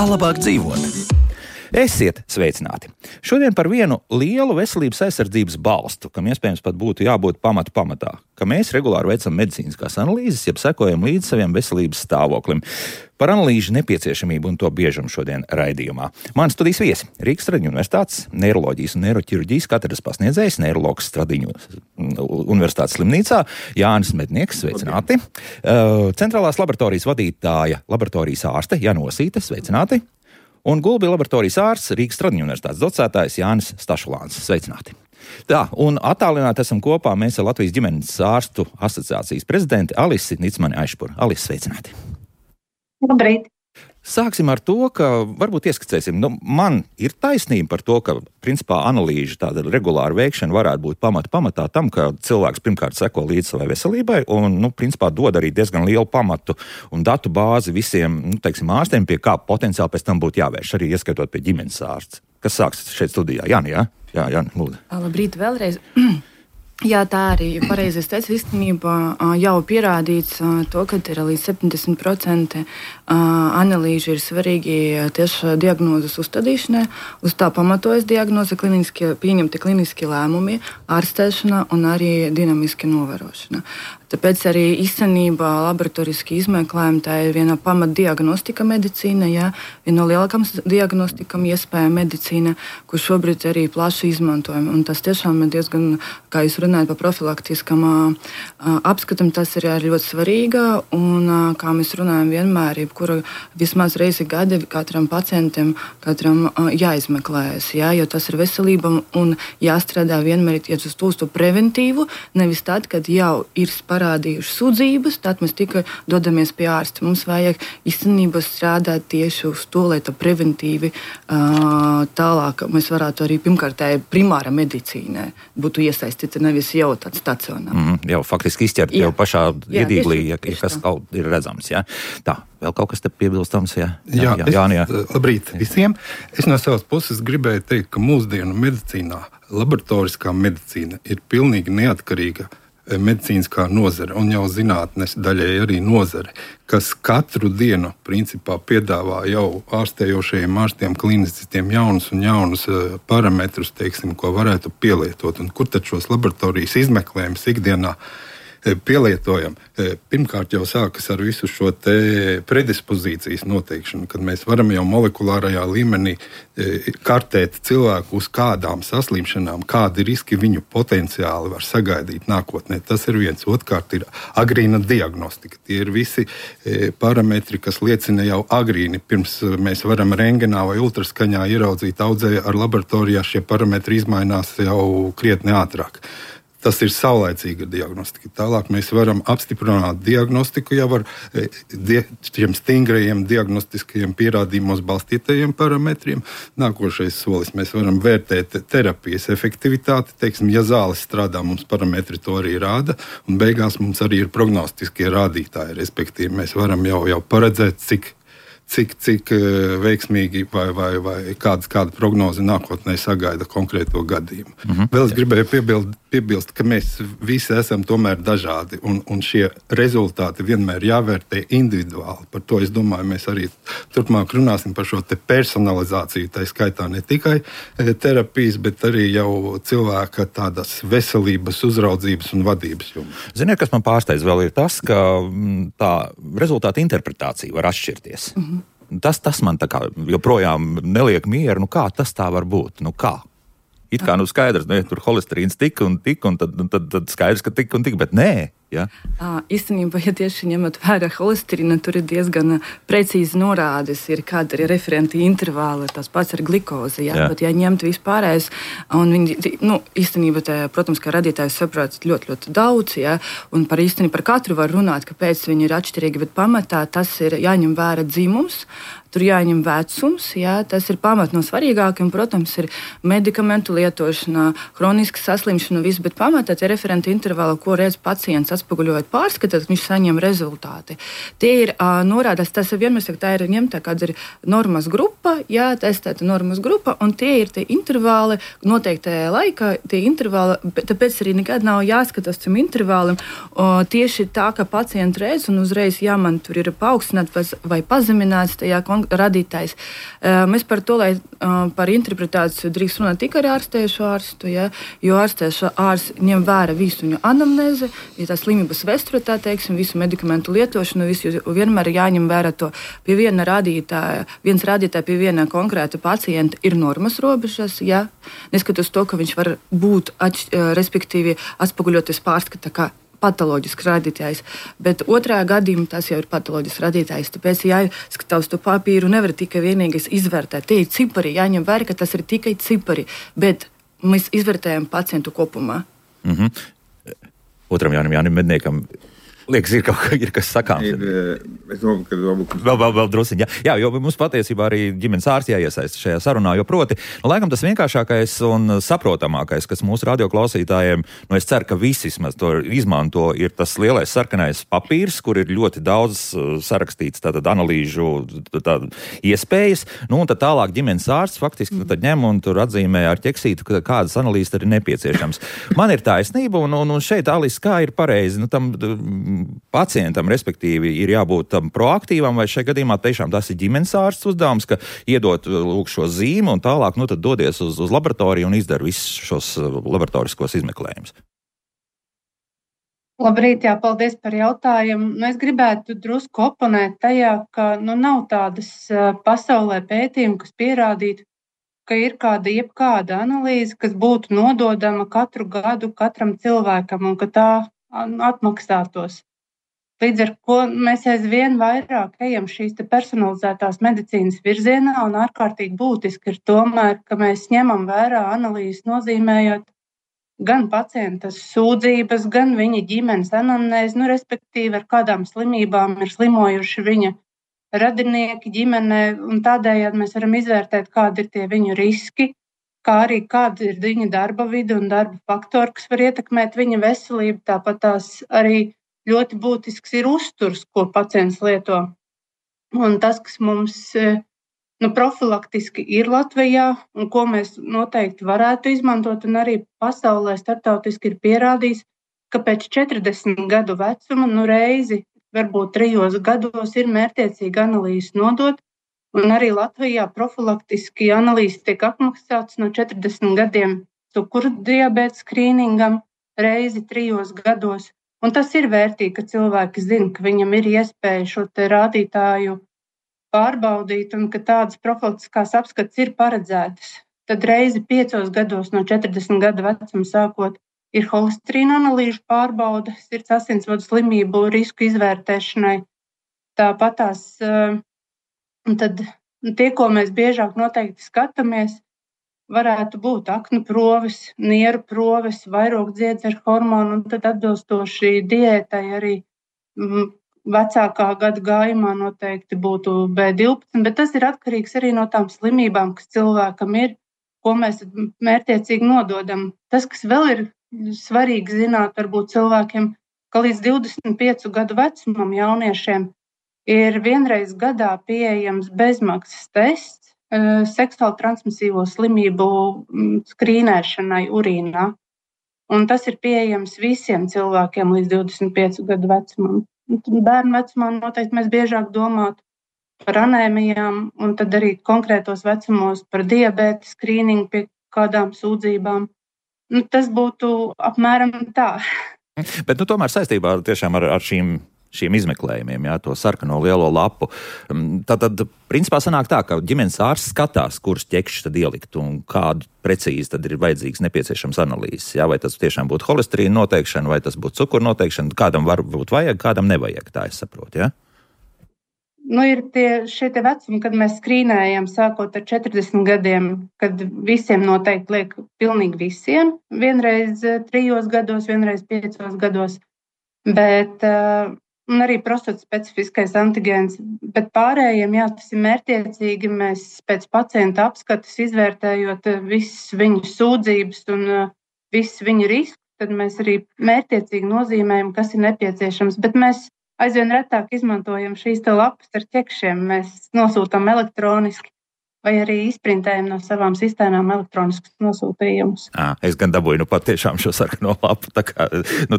labāk dzīvot. Esiet sveicināti! Šodien par vienu lielu veselības aizsardzības balstu, kam iespējams pat būtu jābūt pamatā, ka mēs regulāri veicam medicīniskās analīzes, jeb sekojam līdz saviem veselības stāvoklim. Par analīžu nepieciešamību un to biežumu šodien raidījumā. Mani studijas viesi - Rīgas Stradiņu universitātes neiroloģijas un neiroķirurģijas katedras pasniedzējs, neiroloģis Stradiņu universitātes slimnīcā Jānis Mednieks, sveicināti. Centrālās laboratorijas vadītāja, laboratorijas ārste Jana Osīte, sveicināti. Un Gulbija laboratorijas ārsts Rīgas Stradiņu universitātes docētājs Jānis Stašulāns. Sveicināti! Tā, un attālināti esam kopā mēs ar Latvijas ģimenes ārstu asociācijas prezidenti Alisi Nicmani Aišpuru. Alisi, sveicināti! Labrīt! Sāksim ar to, ka varbūt ieskicēsim. Man ir taisnība par to, ka principā analīžu tāda regulāra veikšana varētu būt pamatā tam, ka cilvēks pirmkārt seko līdz savai veselībai un, principā dod arī diezgan lielu pamatu un datu bāzi visiem, ārstiem, pie kā potenciāli pēc tam būtu jāvērš, arī ieskaitot pie ģimenes ārsts. Kas sāks šeit studijā? Jāni, jā? Jā, Jāni, lūdzu. Labrīt vēlreiz. Jā, tā arī pareizi es teicu, īstenībā jau pierādīts to, ka ir līdz 70% analīžu ir svarīgi tieši diagnozes uzstādīšanai, uz tā pamatojas diagnoze, pieņemti kliniski lēmumi, ārstēšana un arī dinamiski novērošana. Tāpēc arī īstenībā laboratoriski izmeklējumi tā ir viena pamatdiagnostika medicīna, jā, viena no lielākām diagnostikām iespēja medicīna, kur šobrīd arī plaši izmantojam. Un tas tiešām ir diezgan, kā jūs runājat par profilaktiskam apskatam, tas ir arī ļoti svarīga. Un kā mēs runājam vienmēr, jebkura vismaz reizi gadi katram pacientam, jāizmeklējas, jā, jo tas ir veselība un jāstrādā vienmēr iet uz to preventīvu, nevis tad, kad jau ir parādījuši sūdzības, tad mēs tikai dodamies pie ārsta. Mums vajag īstenībā strādāt tieši uz to, lai tā preventīvi tālāk mēs varētu arī pirmkārt primāra medicīnā būtu iesaistīta, nevis jau tāds stacionārs. Jau faktiski izķert jau pašā iedīglī, ja kas kaut ir redzams. Ja? Tā, vēl kaut kas te piebilstams? Ja? Jā. Labrīt visiem. Es no savas puses gribēju teikt, ka mūsdienu medicīnā laboratoriskā medicīna ir pilnīgi neatkarīga medicīniskā nozare un jau zinātnes daļai arī nozare, kas katru dienu principā piedāvā jau ārstējošajiem ārstiem, klinicistiem jaunus parametrus, ko varētu pielietot. Un kur tad šos laboratorijas izmeklējumus ikdienā pielietojam? Pirmkārt jau sākas ar visu šo te predispozīcijas noteikšanu, kad mēs varam jau molekulārajā līmenī kartēt cilvēku uz kādām saslimšanām, kādi riski viņu potenciāli var sagaidīt nākotnē. Tas ir viens. Otrkārt ir agrīna diagnostika. Tie ir visi parametri, kas liecina jau agrīni. Pirms mēs varam rengenā vai ultraskaņā ieraudzīt audzēju ar laboratorijā, šie parametri izmainās jau krietni ātrāk. Tas ir saulaicīga diagnostika. Tālāk mēs varam apstiprināt diagnostiku jau ar šiem stingrajiem diagnostiskajiem pierādījumos balstītajiem parametriem. Nākošais solis mēs varam vērtēt terapijas efektivitāti. Ja zāles strādā, mums parametri to arī rāda. Un beigās mums arī ir prognostiskie rādītāji. Respektīvi, mēs varam jau paredzēt, cik veiksmīgi vai kāda prognoze nākotnē sagaida konkrēto gadījumu. Vēl es gribēju piebilst, ka mēs visi esam tomēr dažādi, un šie rezultāti vienmēr jāvērtē individuāli. Par to, es domāju, mēs arī turpmāk runāsim par šo te personalizāciju, tā skaitā ne tikai terapijas, bet arī jau cilvēka tādas veselības, uzraudzības un vadības jomā. Ziniet, kas man pārsteidz vēl ir tas, ka tā rezultāta interpretācija var atšķirties. Tas man tā kā joprojām neliek mieru. Kā tas tā var būt? Kā? It kā skaidrs, tur holesterīns tik un tad skaidrs, ka tik un tik, bet nē. Ja? Īstenībā, ja tieši ņemot vērā holesterīnu, tur ir diezgan precīzi norādes, kāda ir referenti intervāli, tas pats ar glikozi. Ja? Bet, ja ņemt vispārējais, un viņi, īstenībā, protams, ka radītājs saprot ļoti, ļoti daudz, ja? Un par katru var runāt, kāpēc viņi ir atšķirīgi, bet pamatā tas ir jāņem vērā dzimums, tur jāņem vecums, ja? Tas ir pamat no svarīgākiem, protams, ir medikamentu lietošana, hroniska saslimšana, viss, bet pamatā tie referenti intervāli, ko redz pacients, atspoguļojot pārskatāt, viņš saņem rezultāti. Tie ir norādās, tas ir vienmēr saka, tā ir ņemta kāda ir normas grupa, jā, testēta normas grupa, un tie ir tie intervāli noteiktajā laikā, tie intervāli, tāpēc arī nekad nav jāskatās tam intervālim, tieši tā, ka pacienti redz, un uzreiz, ja man tur ir paaugstināts vai pazemināts tajā kontekstā, radītājs. Mēs par to, lai par interpretāciju drīkst runāt tikai ar ārstējušo ārstu, ja, jo ārstējušo ārsts ņem vērā visu viņu anamnēzi, ja tā slimības vēsture, tā teiksim, visu medikamentu lietošanu, visu vienmēr jāņem vērā to pie viens rādītāja pie viena konkrēta pacienta ir normas robežas, ja, neskatoties to, ka viņš var būt, respektīvi, atspoguļoties pārskata kā patoloģisks rādītājs, bet otrā gadījumā tas jau ir patoloģisks rādītājs. Tāpēc jāskatās to papīru, nevar tikai vienīgais izvērtēt. Tie ir cipari, jāņem vērā, ka tas ir tikai cipari, bet mēs izvērtējam pacientu kopumā. Otram Jānim Medniekam. Liekas, ir kas sakāms. Es domāju, ka vēl drusiņ, jā, jo mums patiesībā arī ģimenes ārsts jāiesaist šajā sarunā, jo proti, laikam tas vienkāršākais un saprotamākais, kas mūsu radioklausītājiem, es ceru, ka visi to izmanto, ir tas lielais sarkanais papīrs, kur ir ļoti daudz sarakstīts tātad analīžu iespējas, un tad tālāk ģimenes ārsts faktiski tad ņem un tur atzīmē ar ķeksītu, kādas analīzes tad ir nepieciešams. Man ir taisnība, un šeit, Alis, kā ir pareizi, tam pacientam, respektīvi, ir jābūt tam proaktīvam, vai šajā gadījumā tiešām tas ir ģimenes ārsts uzdevums, ka iedot lūk šo zīmi un tālāk, tad dodies uz laboratoriju un izdara visus šos laboratoriskos izmeklējumus. Labrīt, paldies par jautājumu. Es gribētu drusku oponēt tajā, ka nav tādas pasaulē pētījumi, kas pierādītu, ka ir jebkāda analīze, kas būtu nododama katru gadu katram cilvēkam un ka tā atmaksātos. Līdz ar ko mēs aizvien vairāk ejam šīs personalizētās medicīnas virzienā, un ārkārtīgi būtiski ir tomēr, ka mēs ņemam vērā analīzes, nozīmējot gan pacienta sūdzības, gan viņa ģimenes anamnēzi, respektīvi ar kādām slimībām ir slimojuši viņa radinieki ģimenē, un tādējādi mēs varam izvērtēt, kādi ir tie viņu riski, kā arī kāda ir viņa darba vide un darba faktori, kas var ietekmēt viņa veselību. Tāpat tās arī ļoti būtisks ir uzturs, ko pacients lieto. Un tas, kas mums profilaktiski ir Latvijā un ko mēs noteikti varētu izmantot, un arī pasaulē starptautiski ir pierādījis, ka pēc 40 gadu vecuma reizi, varbūt 3 gados, ir mērķtiecīgi analīzes nodot, un arī Latvijā profilaktiski analīzes tiek apmaksātas no 40 gadiem cukura diabēta skrīningam reizi 3 gados. Un tas ir vērtīgi, ka cilvēki zina, ka viņam ir iespēja šo rādītāju pārbaudīt un ka tādas profilaktiskās apskates ir paredzētas. Tad reizi 5 gados no 40 gadu vecuma sākot ir holesterīna analīžu pārbaude, sirds asinsvadu slimību risku izvērtēšanai. Tāpat tās, tad tie, ko mēs biežāk noteikti skatāmies, varētu būt aknu proves, nieru proves, vairogdziedze ar hormonu, un tad atbilstoši diētai arī vecākā gada gājumā noteikti būtu B12, bet tas ir atkarīgs arī no tām slimībām, kas cilvēkam ir, ko mēs mērķtiecīgi nododam. Tas, kas vēl ir svarīgi zināt, varbūt cilvēkiem, ka līdz 25 gadu vecumam jauniešiem ir vienreiz gadā pieejams bezmaksas tests seksuāli transmisīvo slimību skrīnēšanai urīnā. Un tas ir pieejams visiem cilvēkiem līdz 25 gadu vecumam. Bērnu vecumā noteikti mēs biežāk domātu par anēmijām, un tad arī konkrētos vecumos par diabēta skrīningu pie kādām sūdzībām. Tas būtu apmēram tā. Bet tomēr saistībā tiešām ar šīm izmeklējumiem, to sarkano lielo lapu. Tad, principā, sanāk tā, ka ģimenes ārsts skatās, kurus ķekšus tad ielikt un kādu precīzi tad ir vajadzīgs nepieciešams analīzes. Vai tas tiešām būtu holesterīna noteikšana, vai tas būtu cukura noteikšana, kādam varbūt vajag, kādam nevajag, tā es saprotu, ja? Ir šie vecumi, kad mēs skrīnējam sākot ar 40 gadiem, kad visiem noteikti liek pilnīgi visiem, vienreiz 3 gados, vienreiz 5 gados, bet arī prostata specifiskais antigēns, bet pārējiem, tas ir mērķtiecīgi, mēs pēc pacienta apskates izvērtējot visas viņu sūdzības un visas viņu riskus, tad mēs arī mērķtiecīgi nozīmējam, kas ir nepieciešams, bet mēs aizvien retāk izmantojam šīs lapas ar ķekšiem, mēs nosūtām elektroniski. vai arī izprintējam no savām sistēmām elektroniskus nosūtījumus. Es gan dabūju patiešām šo sarkano lapu, tā kā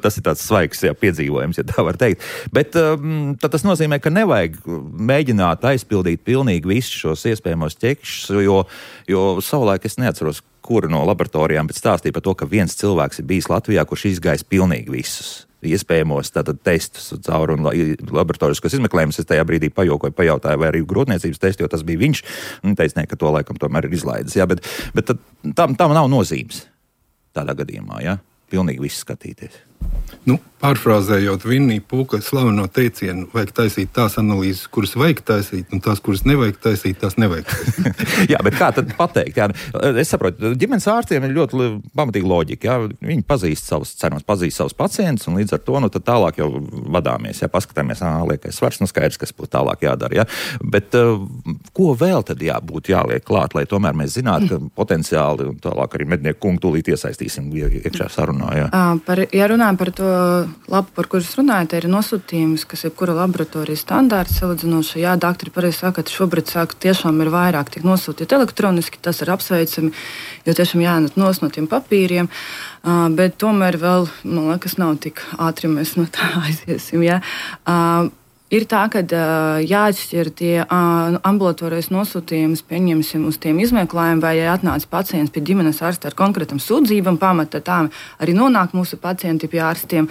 tas ir tāds svaigs piedzīvojums, ja tā var teikt. Bet tad tas nozīmē, ka nevajag mēģināt aizpildīt pilnīgi visus šos iespējamos ķekšus, jo savulaik es neatceros, kura no laboratorijām, bet stāstīja par to, ka viens cilvēks ir bijis Latvijā, kurš izgājis pilnīgi visus iespējamos tātad testus cauri un laboratoriskos izmeklējumus. Es tajā brīdī pajautāju, vai arī grūtniecības testu, jo tas bija viņš. Un teica, ka to laikam tomēr ir izlaidis. Jā, bet tad, tam nav nozīmes tādā gadījumā, jā? Pilnīgi viss skatīties. Pārfrāzējot Vinnija Pūka slaveno teicienu, vajag taisīt tās analīzes, kuras vajag taisīt, un tās, kuras nevajag taisīt, tās nevajag taisīt. Jā, bet kā tad pateikt? Jā, es saprotu, ģimenes ārstiem ir ļoti pamatīga loģika. Jā. Viņi pazīst savus pacientus, un līdz ar to tad tālāk jau vadāmies. Jā, paskatāmies, liekais svars, skaidrs, kas būtu tālāk jādara. Jā. Bet ko vēl tad būtu jāliek klāt, lai tomēr mēs zinātu, ka potenciāli un tālāk arī mednieku kungu tūlīt iesaistīsim iekšā sarunā? Jā. Ja runājam par to lapu, par kuras runājat, ir nosūtījums, kas ir kura laboratorijas standārts salīdzinoši. Jā, doktori pareizi saka, ka šobrīd tiešām ir vairāk tiek nosūtīt elektroniski, tas ir apsveicami, jo tiešām jānet no tiem papīriem, bet tomēr vēl, man liekas, nav tik ātri mēs no tā aiziesim, jā. Ir tā, ka jāatšķir tie ambulatorijas nosūtījumus, pieņemsim uz tiem izmeklējumiem, vai atnāca pacients pie ģimenes ārsta ar konkrētam sūdzībam, pamata tā arī nonāk mūsu pacienti pie ārstiem.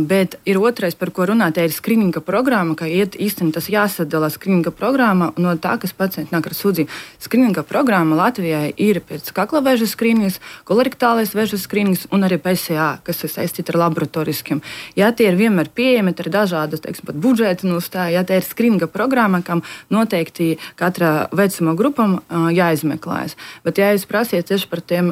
Bet ir otrais, par ko runāt, ir skrininga programma, ka īstenībā tas jāsadala skrininga programma no tā, kas pacienti nāk ar sūdzību. Skrininga programma Latvijai ir pēc kaklavēžas skrīnings, kolorektālais vēžas skrīnings un arī PSA, kas ir saistīti ar laboratoriskiem. Ja tie ir vienmēr pieejami, tad ir dažādas, teiksim, pat budžeti. Ja tā ir skrininga programma, kam noteikti katra vecuma grupam jāizmeklējas. Bet, ja jūs prasiet tieši par tiem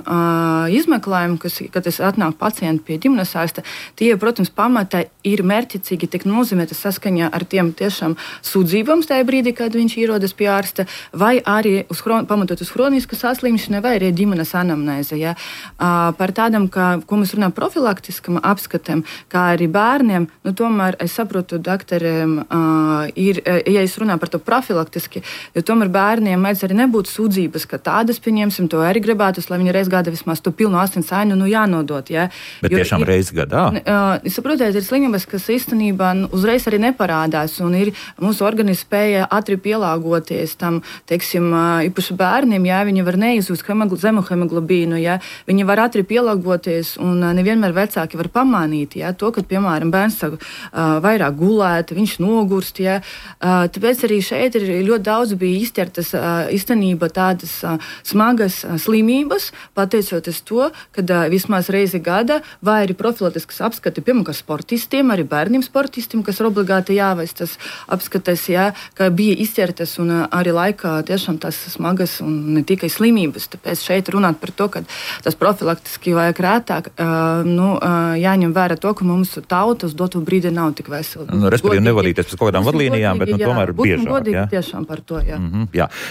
izmeklējumiem, kad atnāk pacienti pie ģimenes ārsta, tie, protams, pamata ir mērķicīgi tik nozīmēti saskaņā ar tiem tiešām sūdzībām tajā brīdī, kad viņš ierodas pie ārsta, vai arī pamatot uz hronisku saslimšanu, vai arī ģimenes anamnēzi. Ja? Par tādam, ko mēs runājam profilaktiskam apskatam, kā arī bērniem, tomēr es saprotu, doktoriem, ja es runāju par to profilaktiski, jo tomēr bērniem mēdz arī nebūt sūdzības, ka tādas, pieņemsim, to arī gribētu, lai viņi reiz gada vismaz to pilnu asins ainu jānodot. Ja? Bet tiešām reiz gadā? Es saprotu, ir slimības, kas īstenībā uzreiz arī neparādās, un ir mūsu organisms spēja ātri pielāgoties tam, teiksim, īpaši bērniem, ja viņi var neizjust zemu hemoglobīnu, ja viņi var ātri pielāgoties, un nevienmēr vecāki var pamanīt, ja, to, ka, piemēram, bērns vairāk gulēt, viņš nogurst. Ja. Tāpēc arī šeit ir ļoti daudz bija izķertas īstenībā tādas smagas slimības, pateicoties to, ka vismaz reizi gada vai arī profilaktiskas apskati, piemēram, sportistiem, arī bērniem sportistiem, kas ir obligāti jāveic tas apskates, ja, ka bija izķertas un arī laikā tiešām tās smagas un ne tikai slimības. Tāpēc šeit runāt par to, ka tas profilaktiski vajag rētāk, jāņem vērā to, ka mums tauta uz dotu brīdi nav tik vesela. Respektīvi nevadīties pēc kaut kādām vadlīnijām, bet tomēr biežāk. Godīgi tiešām par to, jā.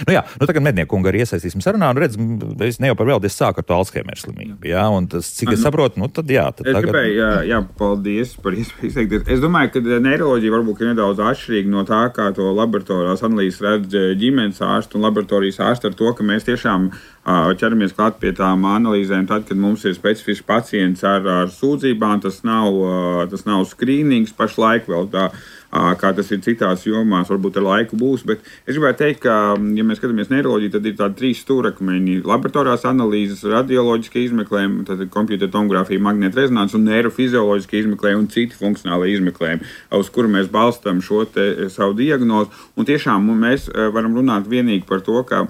Jā. Tagad mednieku kungu arī iesaistīsim sarunā, un redz, es ne jau par veldi, es sāku ar to Alzheimer slimību, jā, un tas, cik es saprotu, tad jā. Tad es gribēju, paldies par iespēju izteikties. Es domāju, ka neiroloģija varbūt ir nedaudz atšķirīga no tā, kā to laboratorijas analīzes redz ģimenes ārsti un laboratorijas ārsti, ar to, ka mēs tiešām ķeramies klāt pie tām analīzēm tad, kad mums ir specifisks pacients ar sūdzībām. Tas nav skrīnings pašlaik vēl tā, kā tas ir citās jomās, varbūt ar laiku būs. Bet es gribētu teikt, ka, ja mēs skatāmies neiroloģiju, tad ir tādi 3 stūrakmeņi - laboratorijas analīzes, radioloģiskie izmeklējumi, tad ir kompjutertomogrāfija, magnētrezonanse un neirofizioloģiskie izmeklējumi un citi funkcionāli izmeklējumi, uz kuru mēs balstām šo savu diagnozi. Un tiešām mēs varam runāt vienīgi par to, ka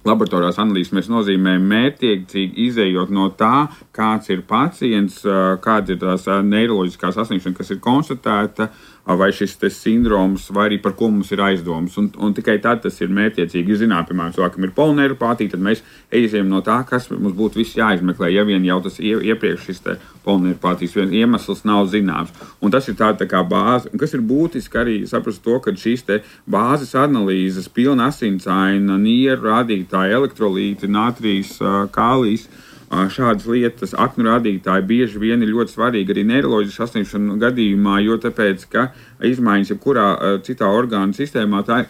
laboratorijas analīzes mēs nozīmējam mērķtiecīgi izējot no tā, kāds ir pacients, kāda ir tās neiroloģiskās saslimšana, kas ir konstatēta, vai šis sindroms, vai arī par ko mums ir aizdomas. Un tikai tad tas ir mērķtiecīgi. Zināt, piemēram, cilvēkam ir polineiropātija, tad mēs ejam no tā, kas mums būtu viss jāizmeklē, ja vien jau tas iepriekš šis polineiropātijas iemesls nav zināms. Un tas ir tā kā bāze. Un kas ir būtiski arī saprast to, ka šīs bāzes analīzes, pilna asinsaina, nieru rādītāji, elektrolīti, natrijas, kālijs, šādas lietas, aknu rādītāji bieži vien ir ļoti svarīgi arī neiroloģisku saslimšanu gadījumā, jo tāpēc, ka izmaiņas jebkurā citā orgānu sistēmā, tā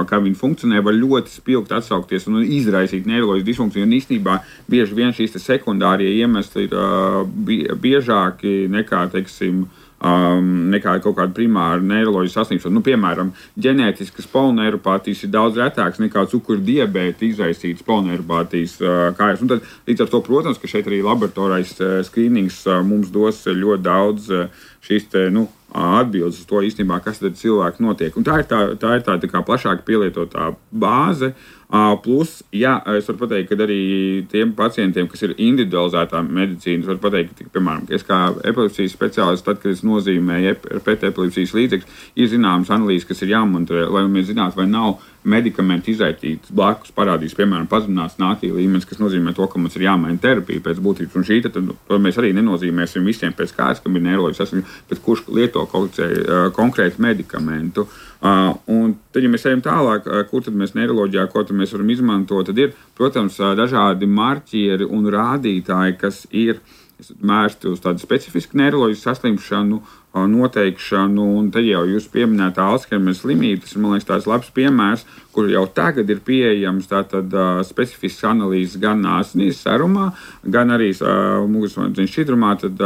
kā viņi funkcionē, var ļoti spilgt atsaukties un izraisīt neiroloģisku disfunkciju. Un īstenībā bieži vien šīs sekundārie iemesli ir biežāki nekā, teiksim, nekā kaut kāda primāra neiroloģiska saslimšana. Piemēram, ģenētiskas poloneiropātijas ir daudz retāks nekā cukura diabēta izraisītas poloneiropātijas kājās. Tad, līdz ar to, protams, ka šeit arī laboratorais skrīnings mums dos ļoti daudz šīs atbildes uz to īstenībā, kas tad cilvēki notiek. Un tā ir tā kā plašāk pielietotā bāze. Plus, es varu pateikt, ka arī tiem pacientiem, kas ir individualizētā medicīna, es varu pateikt, ka, piemēram, es kā epilepsijas speciālists, tad, kad es nozīmēju pētepilepsijas līdzekļus, ir zināmas analīzes, kas ir jāmonitorē, lai mēs zinātu, vai nav medikamenti izraisītas blakus parādīs, piemēram, pazemināts nātrija līmenis, kas nozīmē to, ka mums ir jāmaina terapija pēc būtības. Un šī tad mēs arī nenozīmēsim visiem pēc kārtas, kam ir neiroloģiska saslimšana, bet kurš lieto konkrētu medikamentu. Un tad, ja mēs ejam tālāk, kur tad mēs neiroloģijā, ko tad mēs varam izmantot, tad ir, protams, dažādi marķieri un rādītāji, kas ir mērsti uz tādu specifisku neiroloģisku saslimšanu, noteikšanu, un tad jau jūs pieminētā Alzheimera slimība, tas ir, man liekas, tāds labs piemērs, kur jau tagad ir pieejams tātad specifisks analīzes gan asinīs serumā, gan arī mugursomas šķidrumā, tad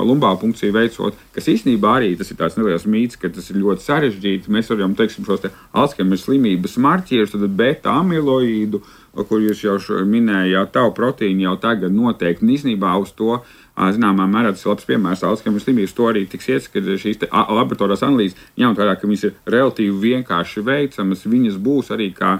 lumbālu punkciju veicot, kas īstenībā arī tas ir tāds neliels mīts, ka tas ir ļoti sarežģīti. Mēs varam, teiksim, šos Alzheimera slimības marķierus, tad beta amiloīdu, kur jūs jau minējāt, tau proteīnu jau tagad noteikti, un īstenībā uz to zināmā mērā tas ir labs piemērs Alzheimera slimības. To arī tiks iet, ka šīs laboratorijas analīzes, ņemot vērā, ka viņas ir relatīvi vienkārši veicamas, viņas būs arī kā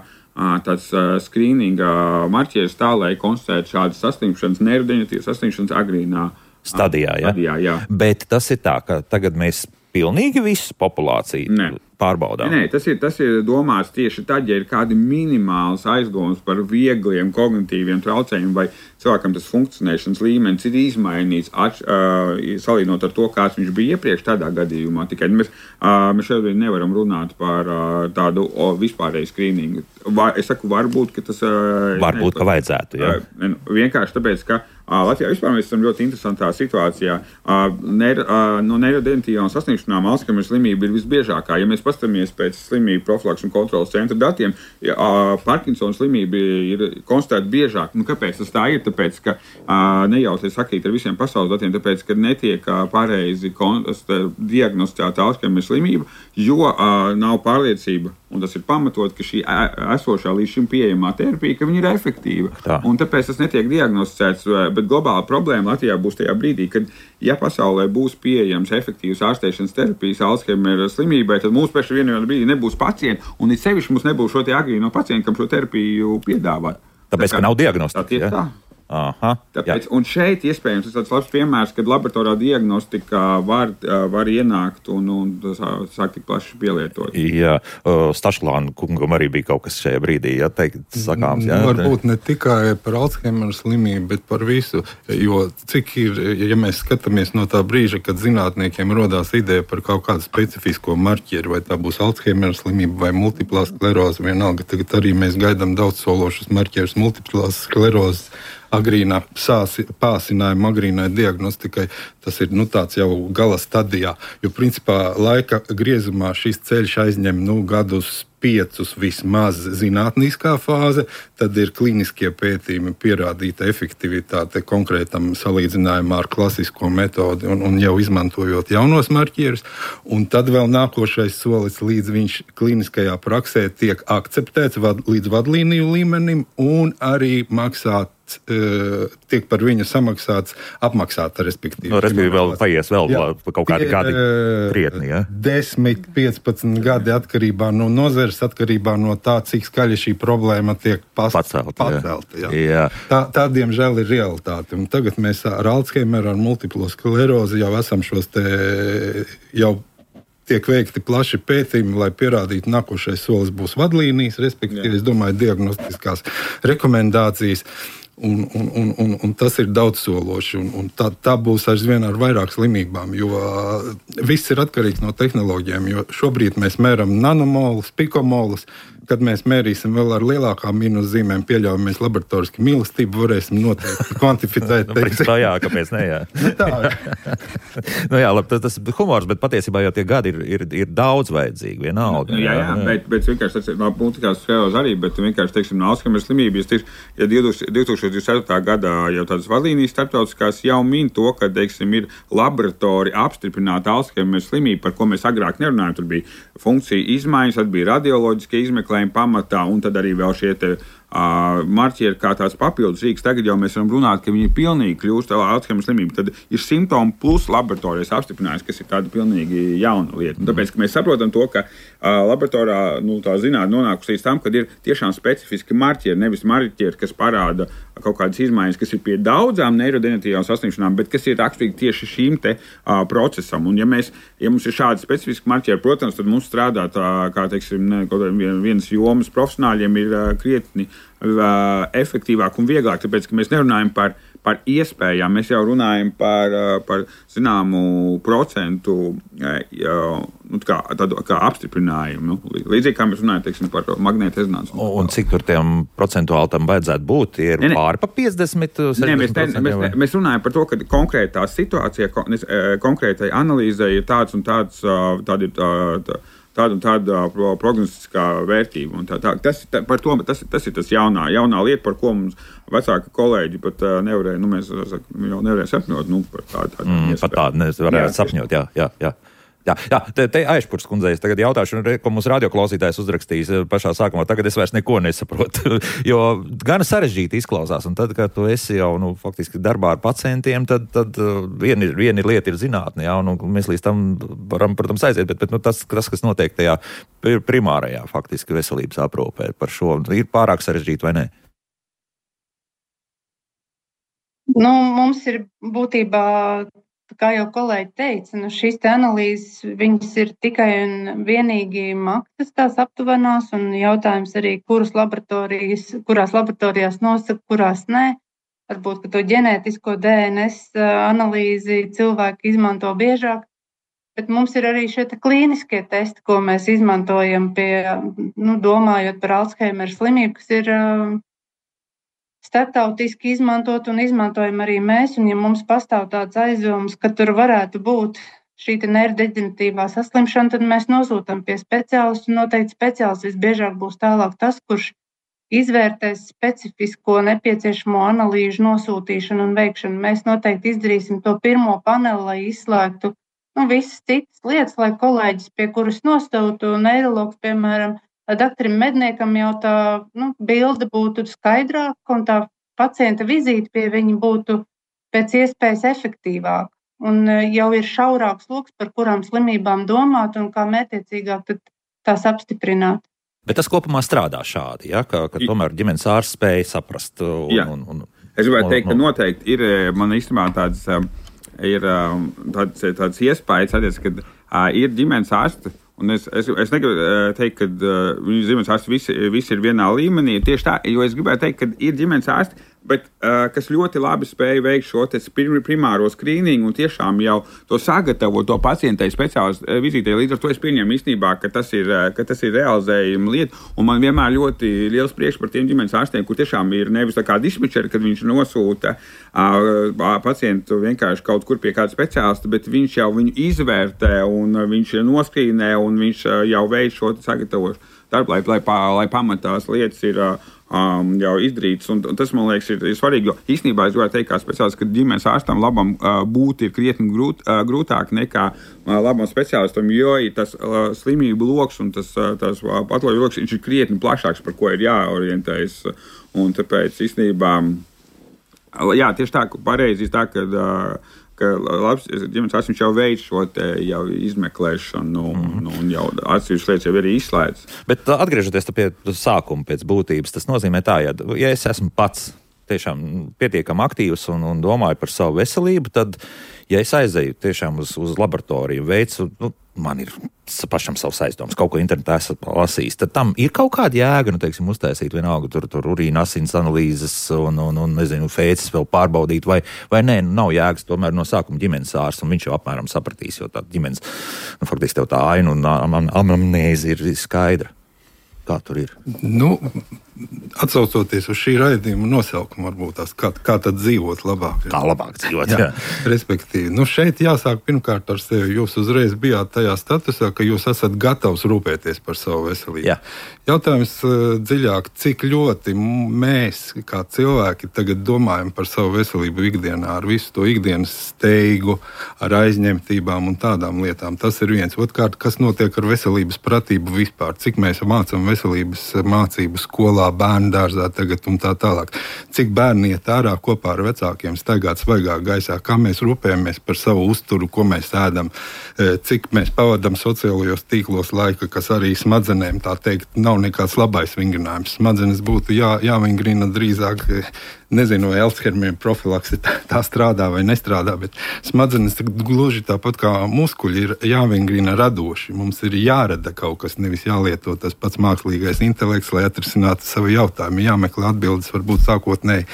tāds skrīninga marķieris tā, lai konstatētu šādas saslimšanas, neirodeģeneratīvas saslimšanas agrīnā stadijā. Jā. Bet tas ir tā, ka tagad mēs pilnīgi visu populāciju pārbaudām. Nē, tas ir domāts tieši tad, ja ir kādi minimāls aizgājums par viegliem kognitīviem traucējumiem, vai cilvēkam tas funkcionēšanas līmenis ir izmainīts, salīdzinot ar to, kāds viņš bija iepriekš tādā gadījumā. Tikai mēs šobrīd nevaram runāt par tādu vispārēju skrīningu. Es saku, varbūt, ka tas... Varbūt, ka vajadzētu, jā. Vienkārši tāpēc, ka Latvijā vispār mēs esam ļoti interesantā situācijā. No neirodeģeneratīvām saslimšanām Alzheimera slimība ir visbiežākā. Ja mēs paskatāmies pēc slimību profilakses un kontrolas centra datiem, Parkinsona slimība ir konstatēta biežāk. Kāpēc tas tā ir? Tāpēc, ka nejauties sakīt ar visiem pasaules datiem, tāpēc, ka netiek pareizi diagnosticēta Alzheimera slimība, jo nav pārliecība, un tas ir pamatot, ka šī esošā līdz šim pieejamā terapija, ka viņa ir efektīva. Tā. Un tāpēc tas netiek diagnosticēts, bet globāla problēma Latvijā būs tajā brīdī, kad, ja pasaulē būs pieejams efektīvas ārstēšanas terapijas Alzheimera slimībai, tad mums pēc vienā brīdī nebūs pacienti, un it sevišķi mums nebūs šo agrīno pacientu, kam šo terapiju piedāvāt. Tāpēc, ka nav diagnostika. Tā. Aha, tāpēc, un šeit iespējams tas tāds labs piemērs, kad laboratorā diagnostika var ienākt un sāk tik plaši pielietot. Jā, Stašklāna kungam arī bija kaut kas šajā brīdī, sakāms. Varbūt ne tikai par Alzheimera slimību, bet par visu, jo cik ir, ja mēs skatāmies no tā brīža, kad zinātniekiem rodās ideja par kaut kādu specifisko marķieru, vai tā būs Alzheimera slimība vai multiplā skleroze, vienalga, tagad arī mēs gaidām daudz sološus marķierus multiplās sklerozes, agrīnā pāsinājuma, agrīnai diagnostikai, tas ir tāds jau gala stadijā. Jo principā laika griezumā šis ceļš aizņem gadus 5 vismaz zinātniskā fāze, tad ir klīniskie pētījumi, pierādīta efektivitāte konkrētam salīdzinājumā ar klasisko metodi un jau izmantojot jaunos marķierus. Un tad vēl nākošais solis, līdz viņš klīniskajā praksē tiek akceptēts līdz vadlīniju līmenim un arī tiek par viņu apmaksāta, respektīvi. Respektīvi vēl paies kaut kādi gadi krietni, ja? 10, 15 gadi atkarībā no nozares, atkarībā no tā, cik skaļi šī problēma tiek pacelta. Jā. Tā, diemžēl, ir realitāte. Un tagad mēs ar Alzheimeru, ar multiplo sklerozi jau esam jau tiek veikti plaši pētījumi, lai pierādītu, nākošais solis būs vadlīnijas, respektīvi, es domāju, diagnostiskās rekomendācijas. Un tas ir daudzsološi, un tā būs aizvien ar vairāk slimībām, jo viss ir atkarīgs no tehnoloģijām, jo šobrīd mēs mēram nanomolus, pikomolus, kad mēs mērīsim vēl ar lielākām mīnuszīmēm pieļaujamies laboratoriski mīlestību, varēsim noteikti kvantificēt. Jā, kāpēc ne, jā. Jā, labi, tas ir humors, bet patiesībā jau tie gadi ir daudz vajadzīgi, vienalga. Jā, bet vienkārši tas ir politikās sfēros arī, bet vienkārši, teiksim, no Alzheimer slimības, ja 2024. gadā jau tādas vadlīnijas starptautiskās jau min to, ka, teiksim, ir laboratori apstiprināta Alzheimer slimība, par ko mēs agrāk nerunājam, tur bija funkcija izmaiņas, tad bija radioloģiskie izmeklējumi pamatā, un tad arī vēl šie te marķieri kā tās papildus rīks. Tagad jau mēs varam runāt, ka viņi pilnīgi kļūst Alzheimer slimību. Tad ir simptomi plus laboratorijas apstiprinājums, kas ir tāda pilnīgi jauna lieta. Un tāpēc, ka mēs saprotam to, ka laboratorijā tā zinātne nonākusi līdz tam, kad ir tiešām specifiski marķieri, nevis marķieri, kas parāda kaut kādas izmaiņas, kas ir pie daudzām neirodeģeneratīvām saslimšanām, bet kas ir raksturīgi tieši šīm te procesam. Un ja mums ir šādi specifiski marķieri, protams, tad mums strādāt, kā teiksim, vienas jomas profesionāļiem ir krietni efektīvāk un vieglāk, tāpēc, ka mēs nerunājam par iespējām, mēs jau runājam par zināmu procentu kā apstiprinājumu. Līdzīgi kā mēs runājam, teiksim, par magnēta rezonanci. Un cik tur tiem procentuāli tam vajadzētu būt? Tie ir pāri pa 50, 60%? Mēs runājam par to, ka konkrētā situācijā, konkrētai analīzē ir tāds un tāds, tāda un tāda prognostiskā vērtība. Un tas ir tas jaunā lieta, par ko mums vecāki kolēģi pat nevarēja, mēs jau nevarēja sapņot, par tādu iespēju. Pat tādu nevarēja sapņot, jā. Jā, te Aišpurs kundzei tagad jautāšu, ko mums radioklausītājs uzrakstījis pašā sākumā. Tagad es vairs neko nesaprotu, jo gan sarežģīti izklausās. Un tad, kad tu esi jau faktiski darbā ar pacientiem, tad viena lieta ir zinātne, jā, un mēs līdz tam varam, protams, aiziet, bet tas, kas notiek tajā primārajā faktiski veselības aprūpē par šo, ir pārāk sarežģīti vai ne? Mums ir būtībā, kā jau kolēģi teica, šīs analīzes, viņas ir tikai un vienīgi maksas tās aptuvenās, un jautājums arī, kurās laboratorijās nosaka, kurās nē. Varbūt, ka to ģenētisko DNS analīzi cilvēki izmanto biežāk, bet mums ir arī šie klīniskie testi, ko mēs izmantojam domājot par Alzheimer slimību, kas ir starptautiski izmantot un izmantojam arī mēs, un ja mums pastāv tāds aizdoms, ka tur varētu būt šī neirodeģeneratīvā saslimšana, tad mēs nosūtam pie speciālistu, un noteikti speciālists visbiežāk būs tālāk tas, kurš izvērtēs specifisko nepieciešamo analīžu nosūtīšanu un veikšanu. Mēs noteikti izdarīsim to pirmo paneli, lai izslēgtu visas citas lietas, lai kolēģis, pie kuras nostautu, neirologs, piemēram, doktoram medniekam jau tā bilde būtu skaidrāka un tā pacienta vizīte pie viņa būtu pēc iespējas efektīvāka. Un jau ir šaurāks loks, par kurām slimībām domāt un kā mērķiecīgāk tās apstiprināt. Bet tas kopumā strādā šādi, ja? Ka tomēr ģimenes ārsts spēja saprast. Es gribētu teikt, ka noteikti ir man īstenībā tāds iespējas, kad ir ģimenes ārsti. Un es negribu teikt, ka viņu ģimenes ārsti visi ir vienā līmenī. Tieši tā, jo es gribētu teikt, ka ir ģimenes ārsti, bet kas ļoti labi spēja veikt šo primāro skrīningu un tiešām jau to sagatavot to pacientai speciālistu vizītei. Līdz ar to es pieņemu īstenībā, ka tas ir realizējuma lieta. Un man vienmēr ļoti liels prieks par tiem ģimenes ārstiem, kur tiešām ir nevis tā kā dispečeri, kad viņš nosūta pacientu vienkārši kaut kur pie kāda speciālista, bet viņš jau viņu izvērtē un viņš noskrīnē un viņš jau veic šo sagatavošu darbu, lai pamatās lietas ir jau izdarīts. Un tas, man liekas, ir svarīgi, jo īstenībā es gribētu teikt, kā speciālists, ka ģimenes ārstam labam būt ir krietni grūtāk nekā labam speciālistam, jo tas slimību loks un tas patoloģiju loks ir krietni plašāks, par ko ir jāorientējas. Un tāpēc īstenībā, jā, tieši tā, pareizi tā, ka labs ģimenes ārsts jau veic šo jau izmeklēšanu un jau atsevišķas lietas jau ir izslēdz. Bet atgriežoties pie sākuma pēc būtības, tas nozīmē tā, ja es esmu pats tiešām pietiekami aktīvs un domāju par savu veselību, tad, ja es aizēju tiešām uz laboratoriju, veicu, man ir pašam savs aizdoms, kaut ko internetā esat lasījis, tad tam ir kaut kāda jēga, uztaisīt vienalga tur urīna asins analīzes un nezinu, fēces vēl pārbaudīt, vai nē, nav jēgas tomēr no sākuma ģimenes ārsts, un viņš jau apmēram sapratīs, jo tā ģimenes, faktiski tev tā aina un amnēze ir skaidra. Kā tur ir? Atsaucoties uz šī raidījuma nosaukumu, varbūt tās, kā tad dzīvot labāk. Kā labāk dzīvot, jā. Respektīvi, šeit jāsāk pirmkārt ar sevi. Jūs uzreiz bijāt tajā statusā, ka jūs esat gatavs rūpēties par savu veselību. Jā. Jautājums dziļāk, cik ļoti mēs, kā cilvēki, tagad domājam par savu veselību ikdienā, ar visu to ikdienas steigu, ar aizņemtībām un tādām lietām. Tas ir viens. Otkārt, kas notiek ar veselības pratību vispār? Cik mēs mācām veselības mācību skolā, bērnu dārzā tagad un tā tālāk. Cik bērni iet ārā kopā ar vecākiem staigāt svaigā gaisā, kā mēs rūpējamies par savu uzturu, ko mēs ēdam, cik mēs pavadam sociālajos tīklos laika, kas arī smadzenēm, tā teikt, nav nekāds labais vingrinājums. Smadzenes būtu jāvingrina drīzāk, nezinu, vai Alzheimer profilakse tā strādā vai nestrādā, bet smadzenes gluži tāpat kā muskuļi ir jāvingrina radoši. Mums ir jārada kaut kas, nevis jālieto tas pats mākslīgais intelekts, lai atrisinātu savu jautājumu. Jāmeklē atbildes varbūt sākotnēji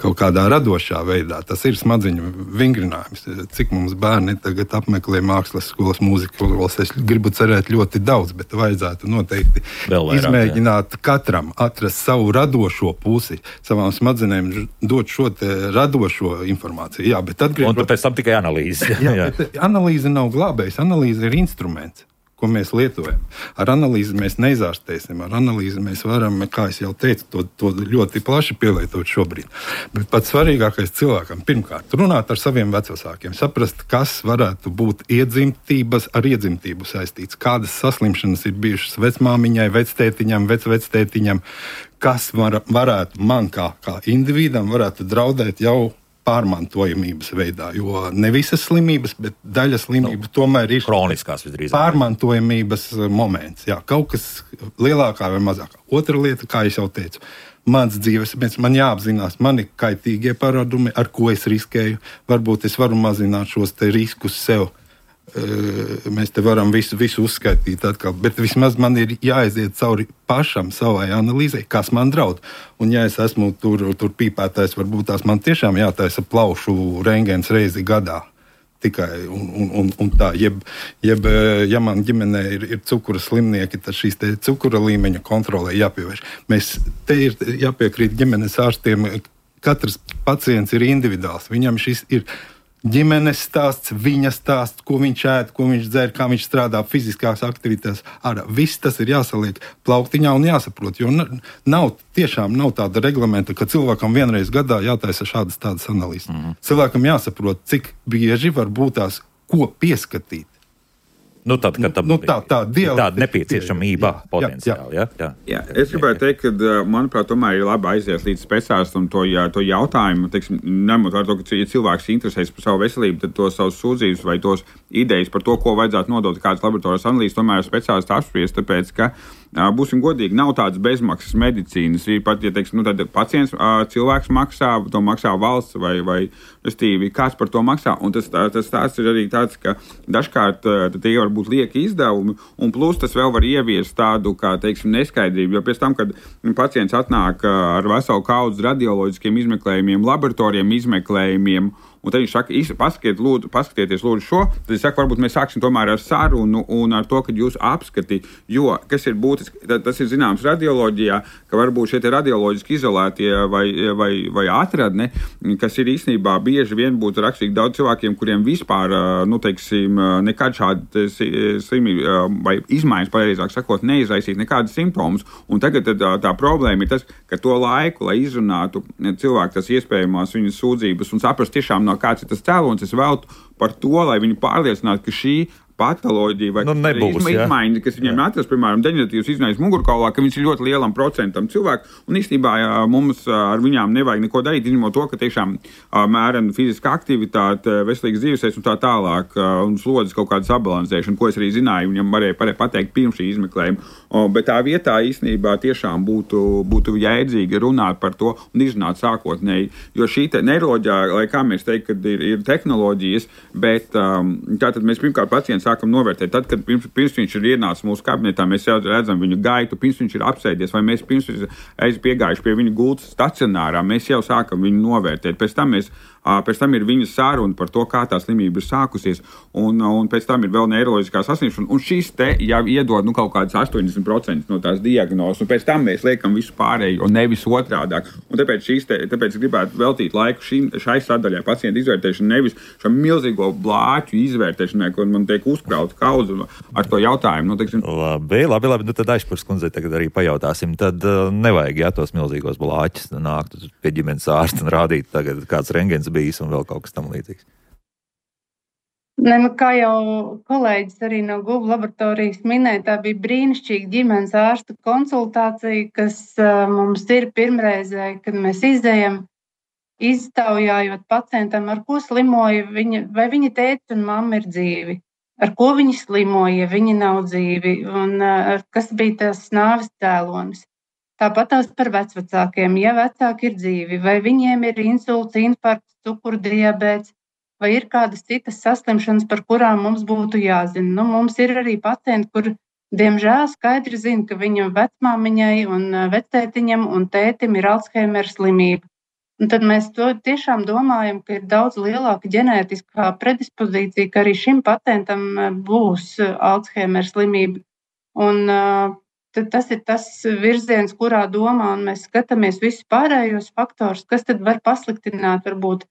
kaut kādā radošā veidā. Tas ir smadziņu vingrinājums. Cik mums bērni tagad apmeklē mākslas skolas, mūzikas skolas, es gribu cerēt ļoti daudz, bet vajadzētu noteikti izmēģināt katram atrast savu radošo pusi, savām smadzenēm dot šo radošo informāciju. Jā, bet un pēc tam tikai analīze. Jā. Analīze nav glābējs, analīze ir instruments, ko mēs lietojam. Ar analīzi mēs neizārstēsim, ar analīzi mēs varam, kā es jau teicu, to ļoti plaši pielietot šobrīd. Bet pats svarīgākais cilvēkam, pirmkārt, runāt ar saviem vecvecākiem, saprast, kas varētu būt ar iedzimtību saistīts, kādas saslimšanas ir bijušas vecmāmiņai, vectētiņam, vecvectētiņam, kas varētu man kā individam varētu draudēt jau pārmantojamības veidā, jo ne visas slimības, bet daļa slimību tomēr ir kroniskās visdrīzāk. Pārmantojamības moments. Jā, kaut kas lielākā vai mazākā. Otra lieta, kā es jau teicu, mans dzīvesveids, man jāapzinās mani kaitīgie paradumi, ar ko es riskēju. Varbūt es varu mazināt šos te riskus sev. Mēs te varam visu uzskaitīt atkal, bet vismaz man ir jāaiziet cauri pašam savai analīzei, kas man draud. Un ja es esmu tur pīpētājs, varbūt tās man tiešām jātaisa plaušu rentgens reizi gadā. Tikai un tā, ja man ģimenē ir cukura slimnieki, tad šīs te cukura līmeņa kontrolē jāpievērš. Te ir jāpiekrīt ģimenes ārstiem, katrs pacients ir individuāls, viņam šis ir ģimenes stāsts, viņa stāsts, ko viņš ēd, ko viņš dzer, kā viņš strādā fiziskās aktivitātes. Viss tas ir jāsaliek plauktiņā un jāsaprot, jo tiešām nav tāda reglamenta, ka cilvēkam vienreiz gadā jātaisa šādas tādas analīzes. Cilvēkam jāsaprot, cik bieži var būt tās, ko pieskatīt. Tad, kad tāda nepieciešamība potenciāli. Jā, es gribētu teikt, ka, manuprāt, tomēr ir labi aizies līdz speciālistam to jautājumu. Teiksim, ņemot vērā to, ka ja cilvēks interesēs par savu veselību, tad tos savus sūdzības vai tos idejas par to, ko vajadzētu nodot kādas laboratorijas analīzes, tomēr speciālisti apspriest, tāpēc, ka būsim godīgi, nav tādas bezmaksas medicīnas. Ir pat, ja teiksim, tad pacients, cilvēks maksā, to maksā valsts vai restīvi, kāds par to maksā. Un tas tāds ir arī tāds, ka dažkārt tie var būt lieki izdevumi, un plus tas vēl var ieviest tādu, kā, teiksim, neskaidrību. Jo pēc tam, kad pacients atnāk ar veselu kaudzi radioloģiskiem izmeklējumiem, laboratoriem izmeklējumiem, un tad viņš saka, paskatieties lūdzu šo, tad es saku, varbūt mēs sāksim tomēr ar sarunu un ar to, ka jūs apskati, jo, kas ir būtiski, tas ir zināms radioloģijā, ka varbūt šie radioloģiski izolētie vai atradne, kas ir īstenībā bieži vien būtu rakstīgi daudz cilvēkiem, kuriem vispār, nekad šādi slimība vai izmaiņas, pareizāk sakot, neizraisīt nekādas simptomus. Un tagad tā problēma ir tas, ka to laiku, lai izrunātu cilvēku tas iespējamās viņas sūdzības un saprast tiešām kāds ir tas cēlonis, es veltu par to, lai viņi pārliecinātu, ka šī patoloģija vai izmaiņas, kas viņiem atrast, piemēram, deģeneratīvas izmaiņas mugurkaulā, ka viņš ir ļoti lielam procentam cilvēku, un īstenībā mums ar viņām nevajag neko darīt, izņemot to, ka tiešām mērena fiziska aktivitāte, veselīgs dzīvesveids un tā tālāk, un slodzes kaut kāda sabalansēšana, ko es arī zināju, viņam varēja pateikt pirms šī izmeklējuma. Bet tā vietā īstenībā tiešām būtu jēdzīgi runāt par to un izrunāt sākotnēji, jo šī neiroloģija, lai kā mēs teikt, kad ir tehnoloģijas, bet tātad mēs pirmkārt pacients pacientu sākam novērtēt. Tad, kad pirms viņš ir ienācis mūsu kabinetā, mēs jau redzam viņu gaitu, pirms viņš ir apsēdies, vai mēs pirms piegājuši pie viņa gultas stacionārā, mēs jau sākam viņu novērtēt. Pēc tam ir viņa saruna par to, kā tā slimība ir sākusies, un pēc tam ir vēl neiroloģiskā saslimšana, un šīs te jau iedod kaut kādas 80% no tās diagnozes, un pēc tam mēs liekam visu pārējo, un nevis otrādāk. Un tāpēc gribētu veltīt laiku šai sadaļai pacientu izvērtēšanu, nevis šam milzīgo blāķu izvērtēšanai, kur man tiek uzkrauta kaudze ar to jautājumu. Labi, nu tad Aizpurs kundzei tagad arī pajautāsim. Tad nevajag, tos milzīgos blāķus nākt pie ģimenes ārsta un rādīt tagad kāds rengens bijis un vēl kaut kas tam līdzīgs. Ne, kā jau kolēģis arī no Google laboratorijas minēja, tā bija brīnišķīga ģimenes ārsta konsultācija, kas mums ir pirmreizē, kad mēs izējam, iztaujājot pacientam, ar ko slimoja vai viņa tētis un mamma ir dzīvi, ar ko viņi slimoja, ja viņi nav dzīvi, un kas bija tas nāves cēlonis. Tāpat tās par vecvecākiem, ja vecāki ir dzīvi, vai viņiem ir insults, infarkts, cukurdiabēts, vai ir kādas citas saslimšanas, par kurām mums būtu jāzina. Nu, mums ir arī pacienti, kur, diemžēl, skaidri zina, ka viņam vecmāmiņai un vectētiņam un tētim ir Alzheimera slimība. Un tad mēs to tiešām domājam, ka ir daudz lielāka ģenētiskā predispozīcija, ka arī šim pacientam būs Alzheimera slimība. Un tas ir tas virziens, kurā domā, un mēs skatāmies visus pārējos faktorus, kas tad var pasliktināt varbūt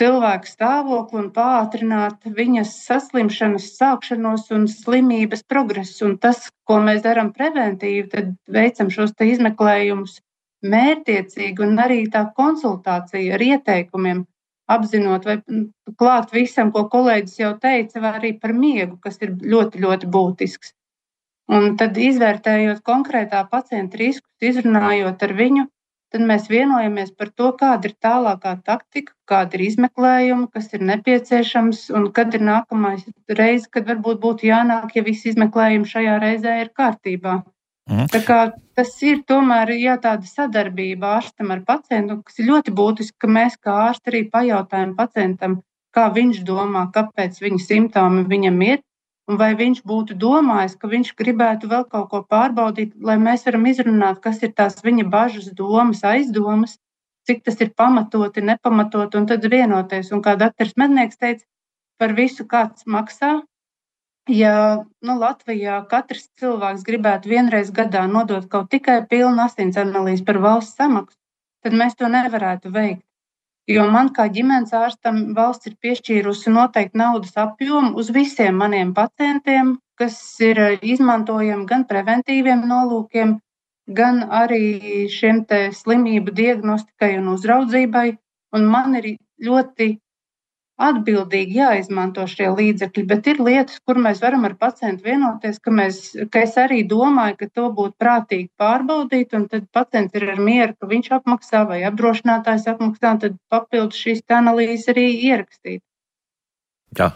cilvēku stāvokli un pātrināt viņas saslimšanas sākšanos un slimības progresu. Un tas, ko mēs darām preventīvi, tad veicam šos te izmeklējumus mērķtiecīgi un arī tā konsultācija ar ieteikumiem, apzinot vai klāt visam, ko kolēģis jau teica, vai arī par miegu, kas ir ļoti, ļoti būtisks. Un tad izvērtējot konkrētā pacienta riskus, izrunājot ar viņu, tad mēs vienojamies par to, kāda ir tālākā taktika, kāda ir izmeklējuma, kas ir nepieciešams un kad ir nākamais reize, kad varbūt būtu jānāk, ja visi izmeklējumi šajā reizē ir kārtībā. Tā kā tas ir tomēr tāda sadarbība ārstam ar pacientu, kas ir ļoti būtiski, ka mēs kā ārsti arī pajautājam pacientam, kā viņš domā, kāpēc viņa simptomi viņam ir, un vai viņš būtu domājis, ka viņš gribētu vēl kaut ko pārbaudīt, lai mēs varam izrunāt, kas ir tās viņa bažas, domas, aizdomas, cik tas ir pamatoti, nepamatoti, un tad vienoties. Un kā doktors Mednieks teica, par visu kāds maksā. Ja Latvijā katrs cilvēks gribētu vienreiz gadā nodot kaut tikai pilnu asins analīzi par valsts samaksu, tad mēs to nevarētu veikt. Jo man kā ģimenes ārstam valsts ir piešķīrusi noteikti naudas apjomu uz visiem maniem pacientiem, kas ir izmantojami gan preventīviem nolūkiem, gan arī šiem te slimību diagnostikai un uzraudzībai. Un man ir ļoti atbildīgi jāizmanto šie līdzekļi, bet ir lietas, kur mēs varam ar pacientu vienoties, ka es arī domāju, ka to būtu prātīgi pārbaudīt, un tad pacients ir ar mieru, ka viņš apmaksā vai apdrošinātājs apmaksā, tad papildus šīs analīzes arī ierakstīt. Jā.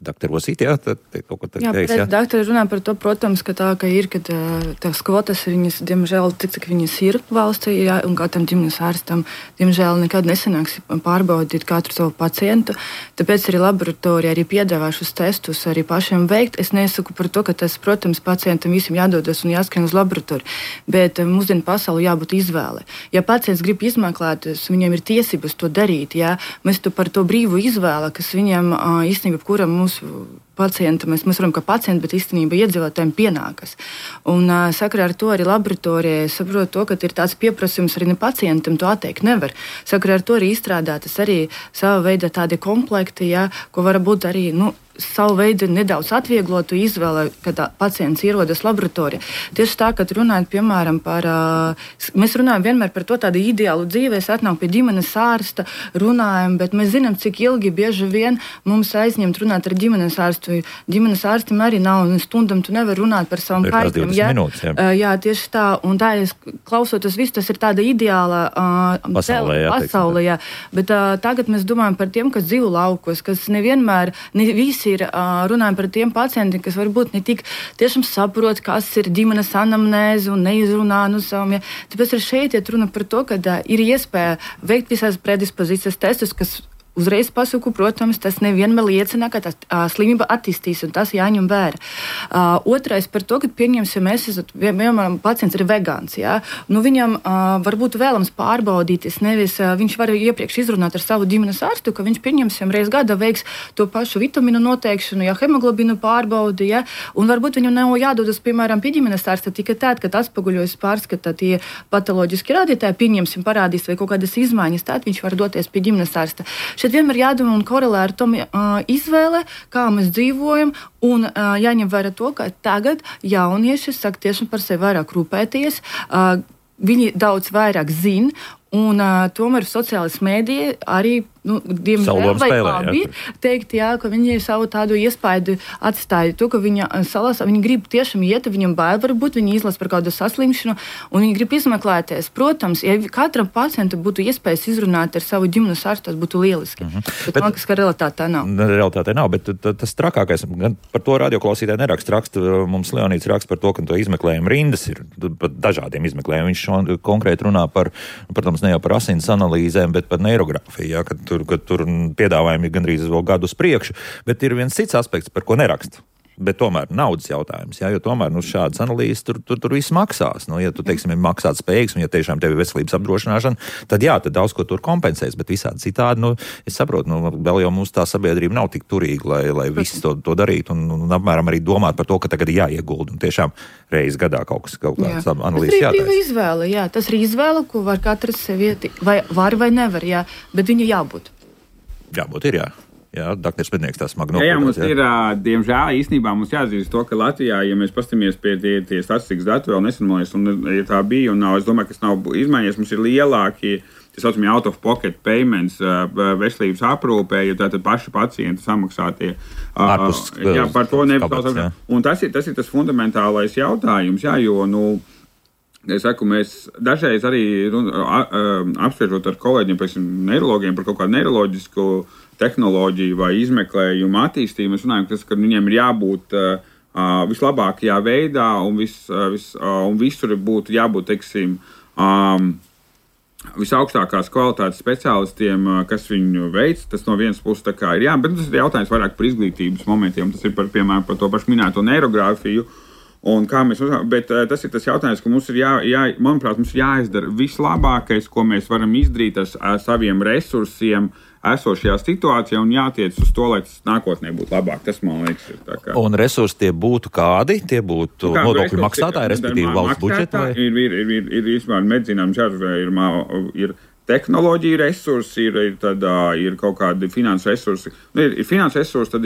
Doktor Osīt, tad kaut ko teiks. Jā, doktori runā par to, protams, ka tās kvotas ir viņas, diemžēl, cik viņas ir valstī, un katram ģimenes ārstam, diemžēl, nekad nesanāks pārbaudīt katru savu pacientu. Tāpēc arī laboratorija arī piedāvā šos testus arī pašiem veikt. Es nesaku par to, ka tas, protams, pacientam visam jādodas un jāskrien uz laboratoriju, bet mūsdienu pasauli jābūt izvēle. Ja pacients grib izmeklēties, viņam ir tiesības to darīt, mēs par to brīvu izvēli, kas viņam īstenībā kuram mūsu pacientam, mēs varam kā pacienti, bet īstenībā iedzīvotājiem pienākas. Un sakarā ar to arī laboratorijai saprot to, ka ir tāds pieprasījums arī ne pacientam to atteikt nevar. Sakarā ar to arī izstrādātas arī sava veida tādi komplekti, ko var būt arī, savu veidu nedaudz atvieglotu izvēli, kad pacients ierodas laboratorijā. Tieši tā, kad runājot, piemēram, mēs runājam vienmēr par to tādu ideālu dzīvi, es atnāku pie ģimenes ārsta, runājam, bet mēs zinām, cik ilgi bieži vien mums aizņemt runāt ar ģimenes ārstu. Ģimenes ārstam arī nav, un stundam tu nevar runāt par savam kaitiem. Jā, tieši tā, un tā, klausoties visu, tas ir tāda ideāla pasaulē, bet tagad mēs domājam par tiem, kas dzīvo laukos, kas nevienmēr, ne visi ir runājam par tiem pacientiem, kas varbūt ne tik tiešām saprot, kas ir ģimenes anamnēze un neizrunā no saviem. Tāpēc arī šeit iet runa par to, ka ir iespēja veikt visās predispozīcijas testus, kas uzreiz pasaku, protams, tas nevienmēr liecina, ka tā slimība attīstīs, un tas jāņem vērā. Otrais par to, ka pieņemsim, mēs esam, piemēram, pacients ir vegāns, jā, nu viņam varbūt vēlams pārbaudīties, nevis viņš var iepriekš izrunāt ar savu ģimenes ārstu, ka viņš pieņemsim reiz gadā veiks to pašu vitamīnu noteikšanu, ja hemoglobinu pārbaudi, ja, un varbūt viņam nav jādodas, piemēram, pie ģimenes ārsta tikai tad, kad atspoguļojas pārskatā tie patoloģiski rādītāji, pieņemsim, parādīs vai kaut kādas izmaiņas, tad viņš var doties pie ģimenes ārsta. Šeit vienmēr jādomā un korelē ar tom izvēle, kā mēs dzīvojam, un jāņem vērā to, ka tagad jaunieši sāk tiešām par sevi vairāk rūpēties, viņi daudz vairāk zina, un tomēr sociālās mēdīja arī, diemžēl, vai labi teikt, jā, ka viņi savu tādu iespaidu atstāja to, ka viņi grib tiešām iet, viņam bail varbūt, viņi izlas par kādu saslimšanu, un viņi grib izmeklēties. Protams, ja katram pacientam būtu iespējas izrunāt ar savu ģimenes ārstu, tas būtu lieliski. Bet man liekas, ka realitātē nav. Realitātē nav, bet tas trakākais, gan par to radioklausītāji neraksta, mums Leonīds raksta par to, ka to izmeklējumu rindas ir par dažādiem izmeklējumiem. Viņš konkrēti runā par, protams, ne jau par asins analīzēm, bet par neirogrāfiju, jā, kad tur piedāvājumi ir gandrīz vēl gadu uz priekšu, bet ir viens cits aspekts, par ko neraksta. Bet tomēr naudas jautājums, jā, jo tomēr šādas analīzes tur viss maksās. Ja tu, teiksim, ir maksāt spējīgs, un ja tiešām tev ir veselības apdrošināšana, tad jā, tad daudz ko tur kompensēs, bet visādi citādi, es saprotu, vēl jau mums tā sabiedrība nav tik turīga, lai visi to darītu, un apmēram arī domāt par to, ka tagad ir jāiegulda, un tiešām reiz gadā kaut kāds analīzes jātaisa. Tas ir izvēle, jā, tas ir izvēle, ko var katrs sevi, vai var vai nevar, jā, bet viņa jābūt. Jābūt ir, jā. Jā, Dr. Smednieks tā smagi nopūtās. Jā, mums ir, diemžēl, īstenībā mums jāatzīst to, ka Latvijā, ja mēs pastamies pie tie statistikas dati vēl nesenolies, un ja tā bija, un es domāju, ka tas nav izmaiņies, mums ir lielākie, tā saucamie out-of-pocket payments veselības aprūpē, jo tātad paši pacienti samaksātie. Jā, par to nevis. Un tas ir tas fundamentālais jautājums, jā, jo, es saku, mēs dažreiz arī apspriežot ar kolēģiem, piemēram, neirologiem par kaut kādu neiroloģisku tehnoloģiju vai izmeklējumu attīstību, mēs runājam, ka viņiem ir jābūt vislabākajā veidā un visur būtu jābūt, teiksim, visaugstākās kvalitātes speciālistiem, kas viņu veic. Tas no vienas puses tā kā ir jā, bet tas ir jautājums vairāk par izglītības momentiem. Tas ir piemēram, par to pašu minēto neirogrāfiju. Un kā mēs uzsākām, bet tas ir tas jautājums, ka mums ir manuprāt, mums ir jāizdara vislabākais, ko mēs varam izdarīt ar saviem resursiem esošajā situācijā un jātiec uz to, lai tas nākotnē būtu labāk. Tas, man liekas, ir tā kā. Un resursi tie būtu kādi? Tie būtu nodokļu maksātāji, respektīvi valsts budžeta? Ir vispār medicīnām ir tehnoloģija resursi, ir kaut kādi finanses resursi. Ir finanses resursi, tad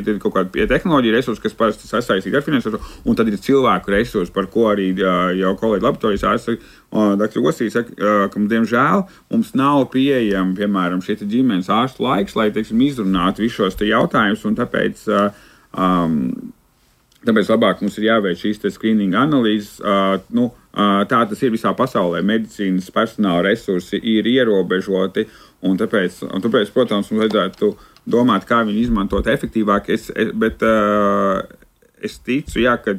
ir kaut kādi tehnoloģija resursi, kas parasti sasaistīti ar finanses resursi, un tad ir cilvēku resursi, par ko arī jau kolēģi laboratorijas ārsti Dr. Gosīs saka, ka, diemžēl, mums nav pieejama, piemēram, šie ģimenes ārstu laiks, lai, teiksim, izrunātu visus šos jautājumus, un tāpēc labāk mums ir jāveic šīs screening analīzes. Tā tas ir visā pasaulē. Medicīnas personāla resursi ir ierobežoti, un tāpēc, protams, mums vajadzētu domāt, kā viņi izmantot efektīvāk. Bet es ticu, jā, ka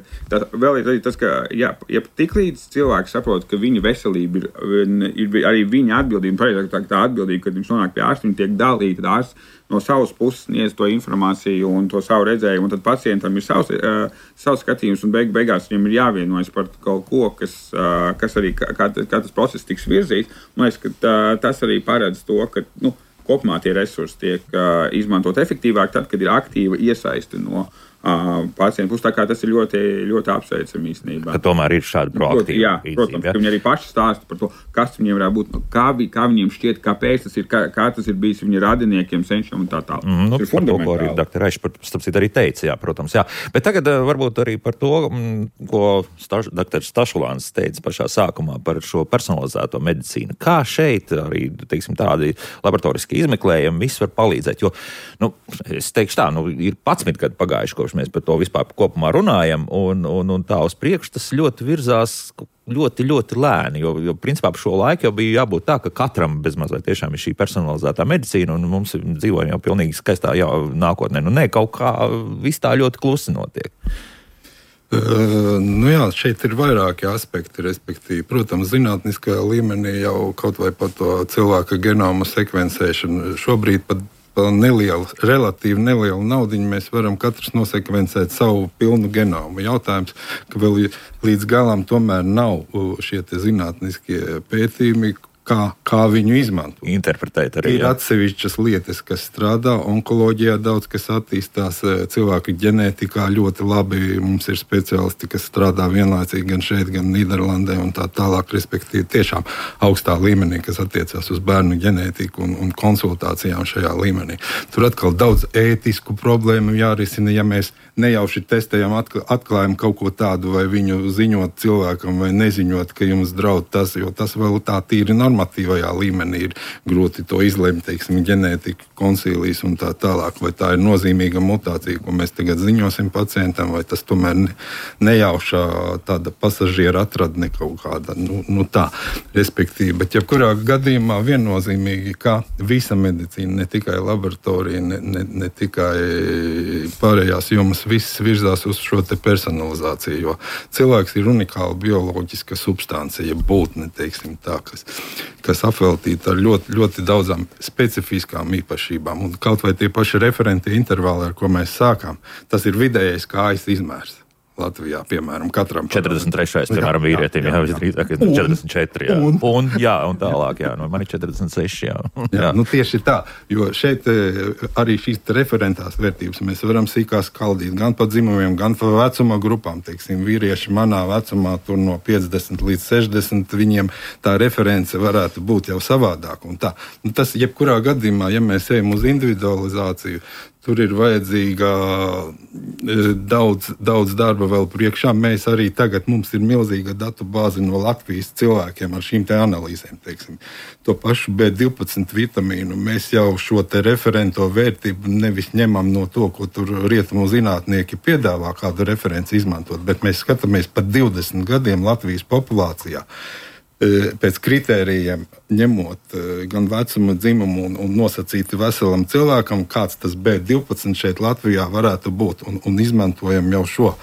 vēl ir tas, ka ja tiklīdz cilvēks saprot, ka viņa veselība ir arī viņa atbildība, tā atbildība, kad viņš nonāk pie ārsta, viņa tiek dalīta, tad ārsts no savas puses sniedz to informāciju un to savu redzējumu, un tad pacientam ir savs skatījums, un beigās viņam ir jāvienojas par kaut ko, kas arī, kā tas process tiks virzīts. Man liekas, ka tas arī paredz to, ka kopumā tie resursi tiek izmantot efektīvāk tad, kad ir aktīva iesaiste no pacientu puses. Tā kā tas ir ļoti, ļoti apsveicami īstenībā. Ka tomēr ir šāda proaktīva. Jā, protams, ka viņi arī paši stāsta par to, kas viņiem varētu būt, kā viņiem šķiet, kāpēc tas ir, kā tas ir bijis viņa radiniekiem, senčiem un tā tālāk. Par to, ko arī Dr. Raišs arī teica, jā, protams, jā. Bet tagad varbūt arī par to, ko Dr. Stašulāns teica pašā sākumā par šo personalizēto medicīnu. Kā šeit arī, teiksim, tādi laboratoriski izmeklējumi viss var palīdzēt, jo, es teikšu tā, ir 11 gadi pagājuši, mēs par to vispār kopumā runājam, un tā uz priekšu tas ļoti virzās ļoti, ļoti lēni, jo principā par šo laiku jau bija jābūt tā, ka katram bezmazliet tiešām ir šī personalizētā medicīna, un mums dzīvojam jau pilnīgi skaistā nākotnē. Kaut kā viss tā ļoti klusi notiek. Šeit ir vairāki aspekti, respektīvi, protams, zinātniskajā līmenī jau kaut vai par to cilvēka genoma sekvencēšanu. Šobrīd pat par relatīvi nelielu naudiņu mēs varam katrs nosekvencēt savu pilnu genomu. Jautājums, ka vēl līdz galam tomēr nav šie zinātniskie pētījumi, kā viņu izmantot. Interpretēt arī. Ir atsevišķas lietas, kas strādā, onkoloģijā daudz kas attīstās, cilvēku ģenētikā ļoti labi. Mums ir speciālisti, kas strādā vienlaicīgi gan šeit, gan Nīderlandē un tā tālāk, respektīvi tiešām augstā līmenī, kas attiecās uz bērnu ģenētiku un konsultācijām šajā līmenī. Tur atkal daudz ētisku problēmu jārisina, ja mēs nejauši testējam, atklājam kaut ko tādu, vai viņu ziņot cilvēkam, vai neziņot, ka jums draud tas, jo tas vēl tā tīri normatīvajā līmenī ir grūti to izlemt, teiksim, ģenētika, konsīlijas un tā tālāk, vai tā ir nozīmīga mutācija, ko mēs tagad ziņosim pacientam, vai tas tomēr nejaušā tāda pasažiera atradne kaut kāda, tā, respektīvi. Bet jebkurā gadījumā viennozīmīgi, ka visa medicīna, ne tikai laboratorija, ne tikai pārējās jomas, viss virzās uz šo te personalizāciju, jo cilvēks ir unikāla bioloģiska substancija, būtne, teiksim tā, kas apveltīta ar ļoti, ļoti daudzām specifiskām īpašībām. Un kaut vai tie paši referenti intervāli, ar ko mēs sākām, tas ir vidējais kājas izmērs. Latvijā, piemēram, katram 43. piemēram, vīrietim, jā, visdrīzāk 44, jā. Un tālāk, jā, man ir 46, jā. Jā, tieši tā, jo šeit arī šīs referentās vērtības mēs varam sīkā skaldīt, gan pa dzimumiem, gan pa vecuma grupām, teiksim, vīrieši manā vecumā tur no 50 līdz 60, viņiem tā reference varētu būt jau savādāk un tā. Tas jebkurā gadījumā, ja mēs ejam uz individualizāciju, tur ir vajadzīga daudz darba vēl priekšā. Mēs arī tagad, mums ir milzīga datu bāze no Latvijas cilvēkiem ar šīm te analīzēm, teiksim. To pašu B12 vitamīnu mēs jau šo te referento vērtību nevis ņemam no to, ko tur rietumu zinātnieki piedāvā kādu referenci izmantot, bet mēs skatāmies pat 20 gadiem Latvijas populācijā. Pēc kritērijiem ņemot gan vecuma, dzimumu un nosacīti veselam cilvēkam, kāds tas B12 šeit Latvijā varētu būt, un izmantojam jau šo.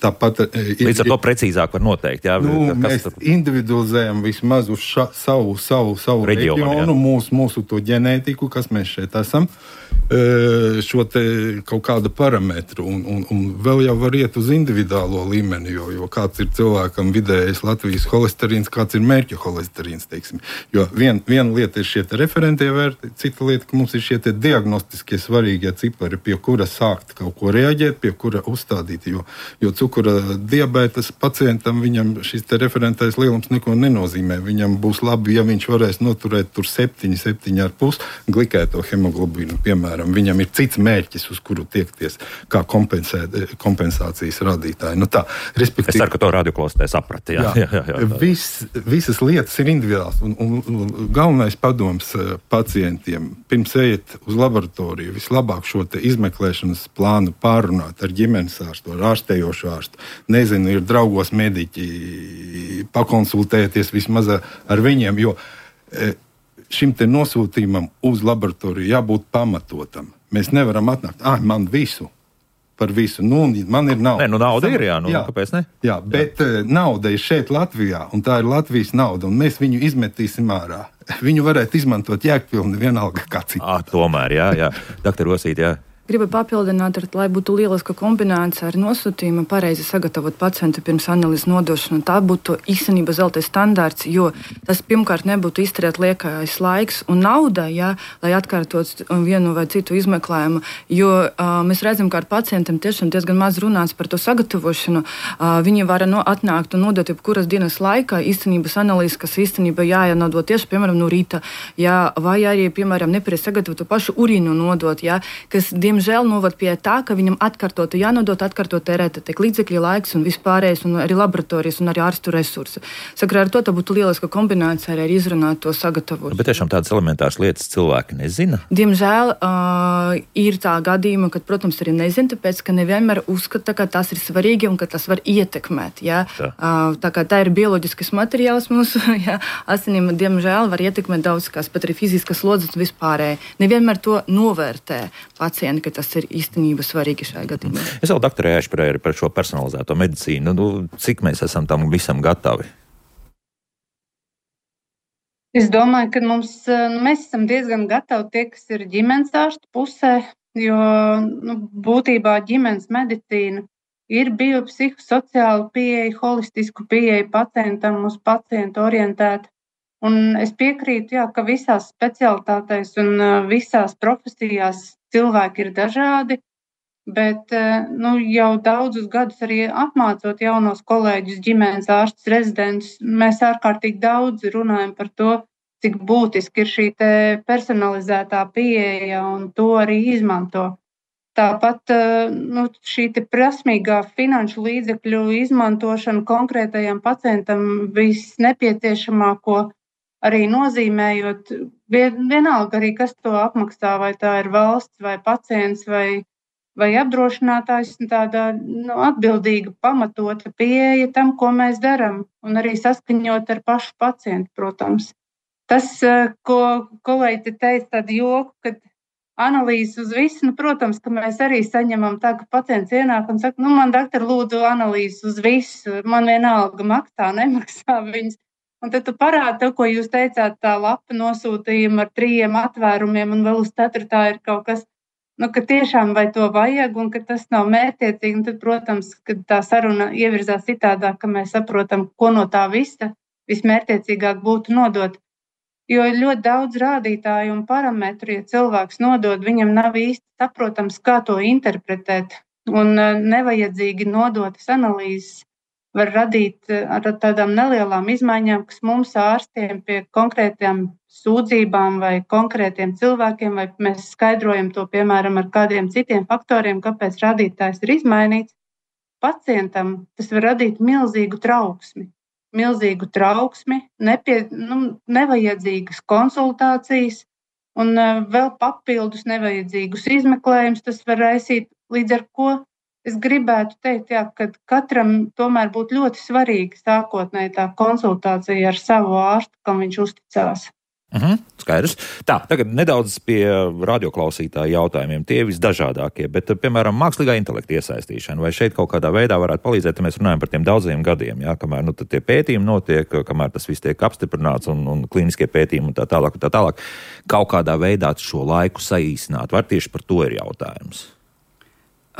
Tāpat, līdz ar to precīzāk var noteikt, jā? Mēs individualizējam vismaz uz savu reģionu, mūsu to ģenētiku, kas mēs šeit esam, šo te kaut kādu parametru, un vēl jau var iet uz individuālo līmeni, jo kāds ir cilvēkam vidējais Latvijas holesterīns, kāds ir mērķu holesterīns, teiksim. Jo viena lieta ir šie te referentie vērti, cita lieta, ka mums ir šie te diagnostiskie svarīgie cipari, pie kura sākt kaut ko reaģēt, pie kura uzstādīt, jo cukura diabetes pacientam, viņam šis te referentais lielums neko nenozīmē. Viņam būs labi, ja viņš varēs noturēt tur 7,5 glikēto hemoglobīnu, piemēram. Viņam ir cits mērķis, uz kuru tiekties, kā kompensācijas rādītāji. Tā, respektīvi. Es ceru, ka to radioklausītē saprata. Jā. Visas lietas ir individuāls. Un galvenais padoms pacientiem, pirms ejiet uz laboratoriju, vislabāk šo te izmeklēšanas plānu pārunāt ar ģimenes ārstu, ar ārstējošu ārstu. Nezinu, ir draugos mediķi, pakonsultēties vismaz ar viņiem, jo šim te nosūtījumam uz laboratoriju jābūt pamatotam. Mēs nevaram atnākt, man par visu. Man ir nauda. Nauda ir, jā. Kāpēc ne? Jā, bet nauda ir šeit Latvijā, un tā ir Latvijas nauda, un mēs viņu izmetīsim ārā. Viņu varētu izmantot jēgpilni vienalga kā citu. Tomēr, jā. Doktor Osīt, jā. Gribu papildināt, lai būtu lieliska kombinācija ar nosūtījumu, pareizi sagatavot pacientu pirms analīzes nodošanu. Tā būtu īstenībā zeltais standārts, jo tas pirmkārt nebūtu iztērēt liekais laiks un nauda, lai atkārtot vienu vai citu izmeklējumu. Jo mēs redzam, ka ar pacientiem tiešām diezgan maz runāts par to sagatavošanu. Viņi var atnākt un nodot jebkuras dienas laikā īstenības analīzes, kas īstenībā jānodot tieši, piemēram, no rīta, vai arī, piemēram, nepareizi sagatavot to pašu urīnu nodot, kas, diemžēl novad pie tā, ka viņam atkārtoti jānodot, atkārtot tērēt tiek līdzekļi, laiks un vispārējais, un arī laboratorijas, un arī ārstu resursi. Sakarā ar to tā būtu lieliska kombinācija arī izrunāt to sagatavošanu. Bet tiešām tādas elementāras lietas cilvēki nezina? Diemžēl ir tā gadījuma, kad, protams, arī nezina, tāpēc, ka nevienmēr uzskata, ka tas ir svarīgi un ka tas var ietekmēt. Tā kā tā ir bioloģiskas materiāls mūsu asinīm, diemžēl var ietekmēt daudz kas, pat arī fiziskas slodzes un vispārēji. Nevienmēr to novērtē pacienti, ka tas ir īstenībā svarīgi šajā gadījumā. Es vēl doktorē aizsprēju par šo personalizēto medicīnu. Cik mēs esam tam visam gatavi? Es domāju, ka mēs esam diezgan gatavi tie, kas ir ģimenes ārstu pusē, jo būtībā ģimenes medicīna ir biopsihosociāla pieeja, holistisku pieeja pacientam, uz pacientu orientēta. Un es piekrītu, ka visās specialitātēs un visās profesijās cilvēki ir dažādi, bet jau daudzus gadus arī apmācot jaunos kolēģus, ģimenes ārstus, rezidentus, mēs ārkārtīgi daudz runājam par to, cik būtiski ir šī personalizētā pieeja un to arī izmanto. Tāpat šī prasmīgā finanšu līdzekļu izmantošana konkrētajam pacientam visnepieciešamāko arī nozīmējot, vienalga arī, kas to apmaksā, vai tā ir valsts, vai pacients, vai apdrošinātājs, tāda atbildīga, pamatota pieeja tam, ko mēs darām, un arī saskaņot ar pašu pacientu, protams. Tas, ko kolēģi teica, tādu joku, kad analīzes uz visu, protams, ka mēs arī saņemam tā, ka pacients ienāk un saka, man doktor lūdzu analīzes uz visu, man vienalga maksā, nemaksā viņas. Un tad tu parādi to, ko jūs teicāt, tā lapa nosūtījuma ar 3 atvērumiem un vēl uz 4. ir kaut kas, ka tiešām vai to vajag un ka tas nav mērķiecīgi. Un tad, protams, kad tā saruna ievirzās citādāk, ka mēs saprotam, ko no tā visa vismērķiecīgāk būtu nodot. Jo ir ļoti daudz rādītāju un parametru, ja cilvēks nodod, viņam nav īsti saprotams, kā to interpretēt. Un nevajadzīgi nodotas analīzes var radīt ar tādām nelielām izmaiņām, kas mums ārstiem pie konkrētām sūdzībām vai konkrētiem cilvēkiem, vai mēs skaidrojam to, piemēram, ar kādiem citiem faktoriem, kāpēc rādītājs ir izmainīts. Pacientam tas var radīt milzīgu trauksmi, nevajadzīgas konsultācijas un vēl papildus nevajadzīgus izmeklējumus tas var raisīt, līdz ar ko es gribētu teikt, ka katram tomēr būtu ļoti svarīga sākotnēji tā konsultācija ar savu ārstu, kam viņš uzticās. Skaidrs. Tā, tagad nedaudz pie radioklausītāju jautājumiem. Tie visdažādākie, bet, piemēram, mākslīgā intelekta iesaistīšana. Vai šeit kaut kādā veidā varētu palīdzēt, ja mēs runājam par tiem daudziem gadiem, kamēr tie pētījumi notiek, kamēr tas viss tiek apstiprināts un klīniskie pētījumi un tā tālāk. Kaut kādā veidā šo laiku saīsināt. Var tieši par to ir jautājums.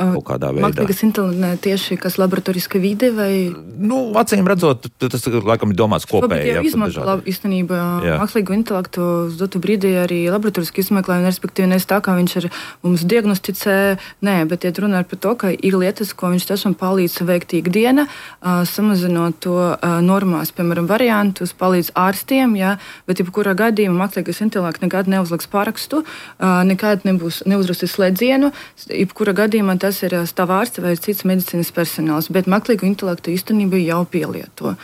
Mākslīgas intelekts tieši kas laboratoriska vide vai? Acīm redzot, tas laikam ir domāts kopēji. Jā, izmanto īstenībā mākslīgu intelektu uz dotu brīdī arī laboratoriski izmeklējumu, respektīvi nevis tā, kā viņš ar mums diagnosticē, bet iet runāt par to, ka ir lietas, ko viņš tiešām palīdz veikt ikdiena, samazinot to normās, piemēram, variantus, palīdz ārstiem, bet jebkurā gadījumā mākslīgais intelekts nekad neuzliks parakstu, nekad neuzrakstīs slēdzienu, jebkurā gadījumā tas ir tava ārsta vai cits medicīnas personāls, bet mākslīgu intelektu īstenībā jau pielieto.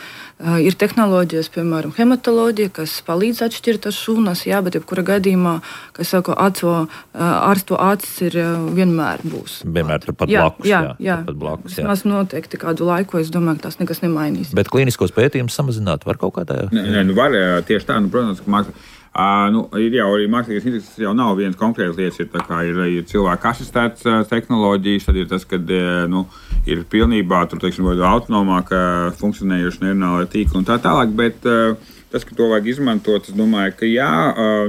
Ir tehnoloģijas, piemēram, hematoloģija, kas palīdz atšķirt tās šūnas, bet jebkurā gadījumā, kas saka, ārstu acis ir vienmēr būs. Vienmēr turpat blakus. Jā. Mēs noteikti kādu laiku, es domāju, ka tas nekas nemainīs. Bet klīniskos pētījumus samazināt var kaut kādā? Var tieši tā, protams, ka ir jau arī mākslīgais intelekts, tas jau nav viens konkrēts lietas, ir cilvēku asistēts tehnoloģijas, tad ir tas, kad ir pilnībā autonomāk funkcionējuši neuronālai tīkli un tā tālāk, bet tas, ka to vajag izmantot, es domāju, ka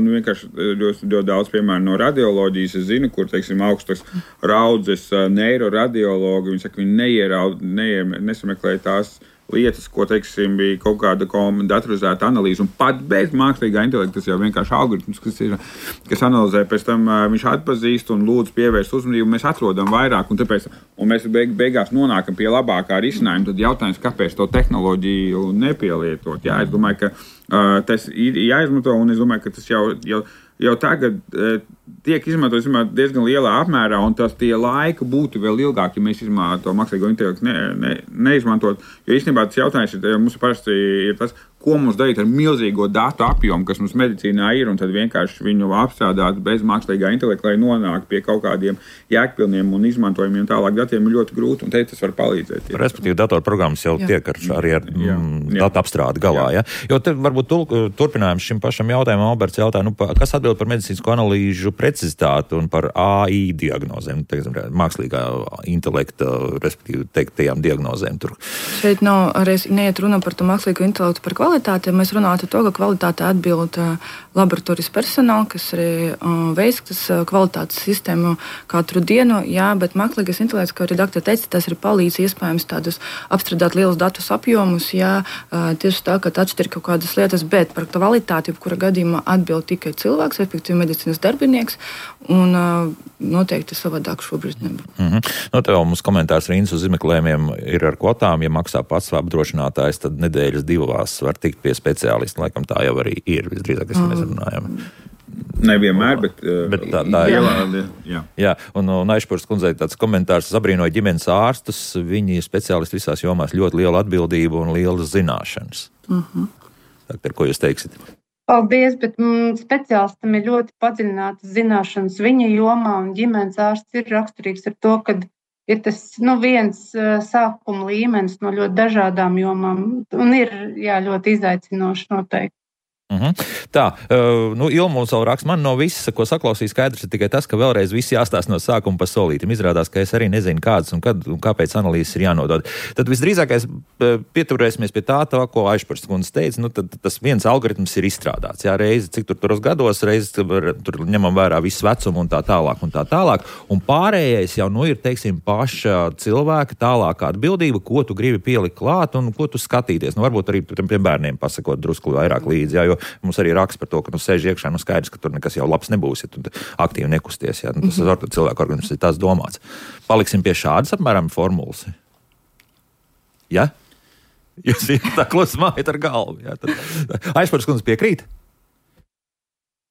vienkārši ļoti daudz, piemēram, no radioloģijas es zinu, kur, augstas raudzes neiroradiologi, viņi saka, viņi nesameklē tās lietas, ko, bija kaut kāda datorizēta analīze, un pat bez mākslīgā intelekta, tas jau vienkārši algoritms, kas analizē, pēc tam viņš atpazīst un lūdzu pievērst uzmanību, mēs atrodam vairāk, un mēs beigās nonākam pie labākā risinājuma. Tad jautājums, kāpēc to tehnoloģiju nepielietot? Es domāju, ka tas ir jāizmanto, un es domāju, ka tas jau tagad tiek izmantots diezgan lielā apmērā, un tie laika būtu vēl ilgāk, ja mēs to mākslīgo intelektu neizmantot. Jo īstenībā tas jautājums mums parasti ir tas, ko mums darīt ar milzīgo datu apjomu, kas mums medicīnā ir, un tad vienkārši viņu apstrādāt bez mākslīgā intelekta, lai nonāktu pie kaut kādiem jēgpilniem un izmantojumiem tālāk datiem, ir ļoti grūti, un tas var palīdzēt. Respektīvi, datorprogrammas jau tiek arī ar datu apstrādi galā. Jā. Jo te varbūt turpinājums šim pašam jautājumam, Alberts jautāja, kas atbild par medicīnisko analīžu precizitāti un par AI diagnozēm, mākslīgā intelekta, respektīvi teiktajām diagnozēm tur. Šeit nav arī neiet runa par to mākslīgo intelektu par kvalitāti kvalitāti, mēs runātu to, ka kvalitāte atbild laboratorijas personāli, kas arī veids kvalitātes sistēmu katru dienu, jā, bet mākslīgais intelekts, kā redaktori teica, tas arī palīdz iespējams tādus apstrādāt lielus datus apjomus, jā, tieši tā, ka atšķir kaut kādas lietas, bet par kvalitāti, kura gadījumā atbild tikai cilvēks, respektīvi medicīnas darbinieks, un noteikti savādāk šobrīd nebūtu. No tev mums komentārs Rīnas uz izmeklējumiem ir ar kvotām, ja maksā pats apdrošinātājs, tad nedēļas divās var tikt pie speciālista, laikam tā jau arī ir, visdrīzāk, kas mēs runājam. Nevienmēr, bet tā jā. Jā, un Aišpurs kundzei tāds komentārs: abrīnoja ģimenes ārstus, viņi ir speciālisti visās jomās, ļoti liela atbildība un lielas zināšanas. Doktor, ko jūs teiksiet? Paldies, bet speciālistam ir ļoti padziļinātas zināšanas viņa jomā, un ģimenes ārsts ir raksturīgs ar to, ka ir tas viens sākuma līmenis no ļoti dažādām jomām, un ir ļoti izaicinoši noteikti. Tā, Ilma mums vēl raksta, man no visa, ko saklausīju, skaidrs ir tikai tas, ka vēlreiz viss jāstāsta no sākuma pa solītim. Izrādās, ka es arī nezinu, kādas un kad un kāpēc analīzes ir jānodod. Tad visdrīzākais pieturēsimies pie tā, ko Aišpurs kundze teica, tad tas viens algoritms ir izstrādāts. Jā, reizi, cik turos gados, reizi tur ņemam vērā visu vecumu un tā tālāk un tā tālāk. Un pārējais jau ir, teiksim, paša cilvēka tālākā atbildība, ko tu gribi pielikt klāt un ko tu skatīties. Varbūt arī pie bērniem pasakot drusku vairāk līdzi, jā, jo mums arī raksta par to, ka sēž iekšā, skaidrs, ka tur nekas jau labs nebūs, ja tu aktīvi nekusties. Ja? Tas cilvēku organisms ir tās domāts. Paliksim pie šādas apmēram formulas. Ja? Jūs tā klusi mājat ar galvu. Ja? Aišpurs kundze piekrīt?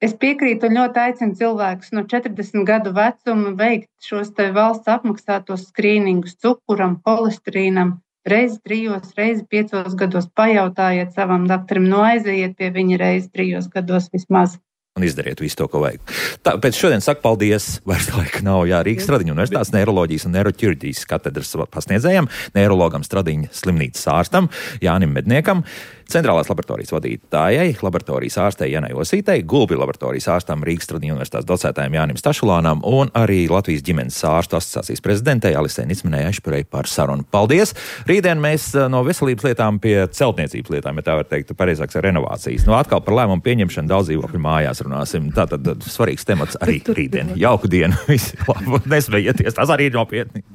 Es piekrītu un ļoti aicinu cilvēkus no 40 gadu vecuma veikt šos te valsts apmaksātos skrīningus cukuram, holesterīnam. Reizi 3, reizi 5 gados pajautājiet savam doktoram, aiziet pie viņa reizi 3 gados vismaz. Un izdariet visu to, ko vajag. Pēc šodien saku paldies, vairs laika nav, Rīgas Stradiņu universitātes neiroloģijas un neiroķirurģijas katedras pasniedzējam, neirologam Stradiņa slimnīcas ārstam Jānim Medniekam, centrālās laboratorijas vadītājai, laboratorijas ārstei Janai Osītei, Gulbi laboratorijas ārstam Rīgas Stradiņu universitātes docētājiem Jānim Stašulānam un arī Latvijas ģimenes ārstu asociācijas prezidentei Alisei Nicmenei Aišpurei par sarunu. Paldies! Rītdien mēs no veselības lietām pie celtniecības lietām, ja tā var teikt, pareizāks ar renovācijas. Atkal par lēmumu pieņemšanu daudz dzīvokļu mājās runāsim. Tātad svarīgs temats arī rītdien. Jauku dienu! Visi labi, nesmējieties, tas arī ir nopietni.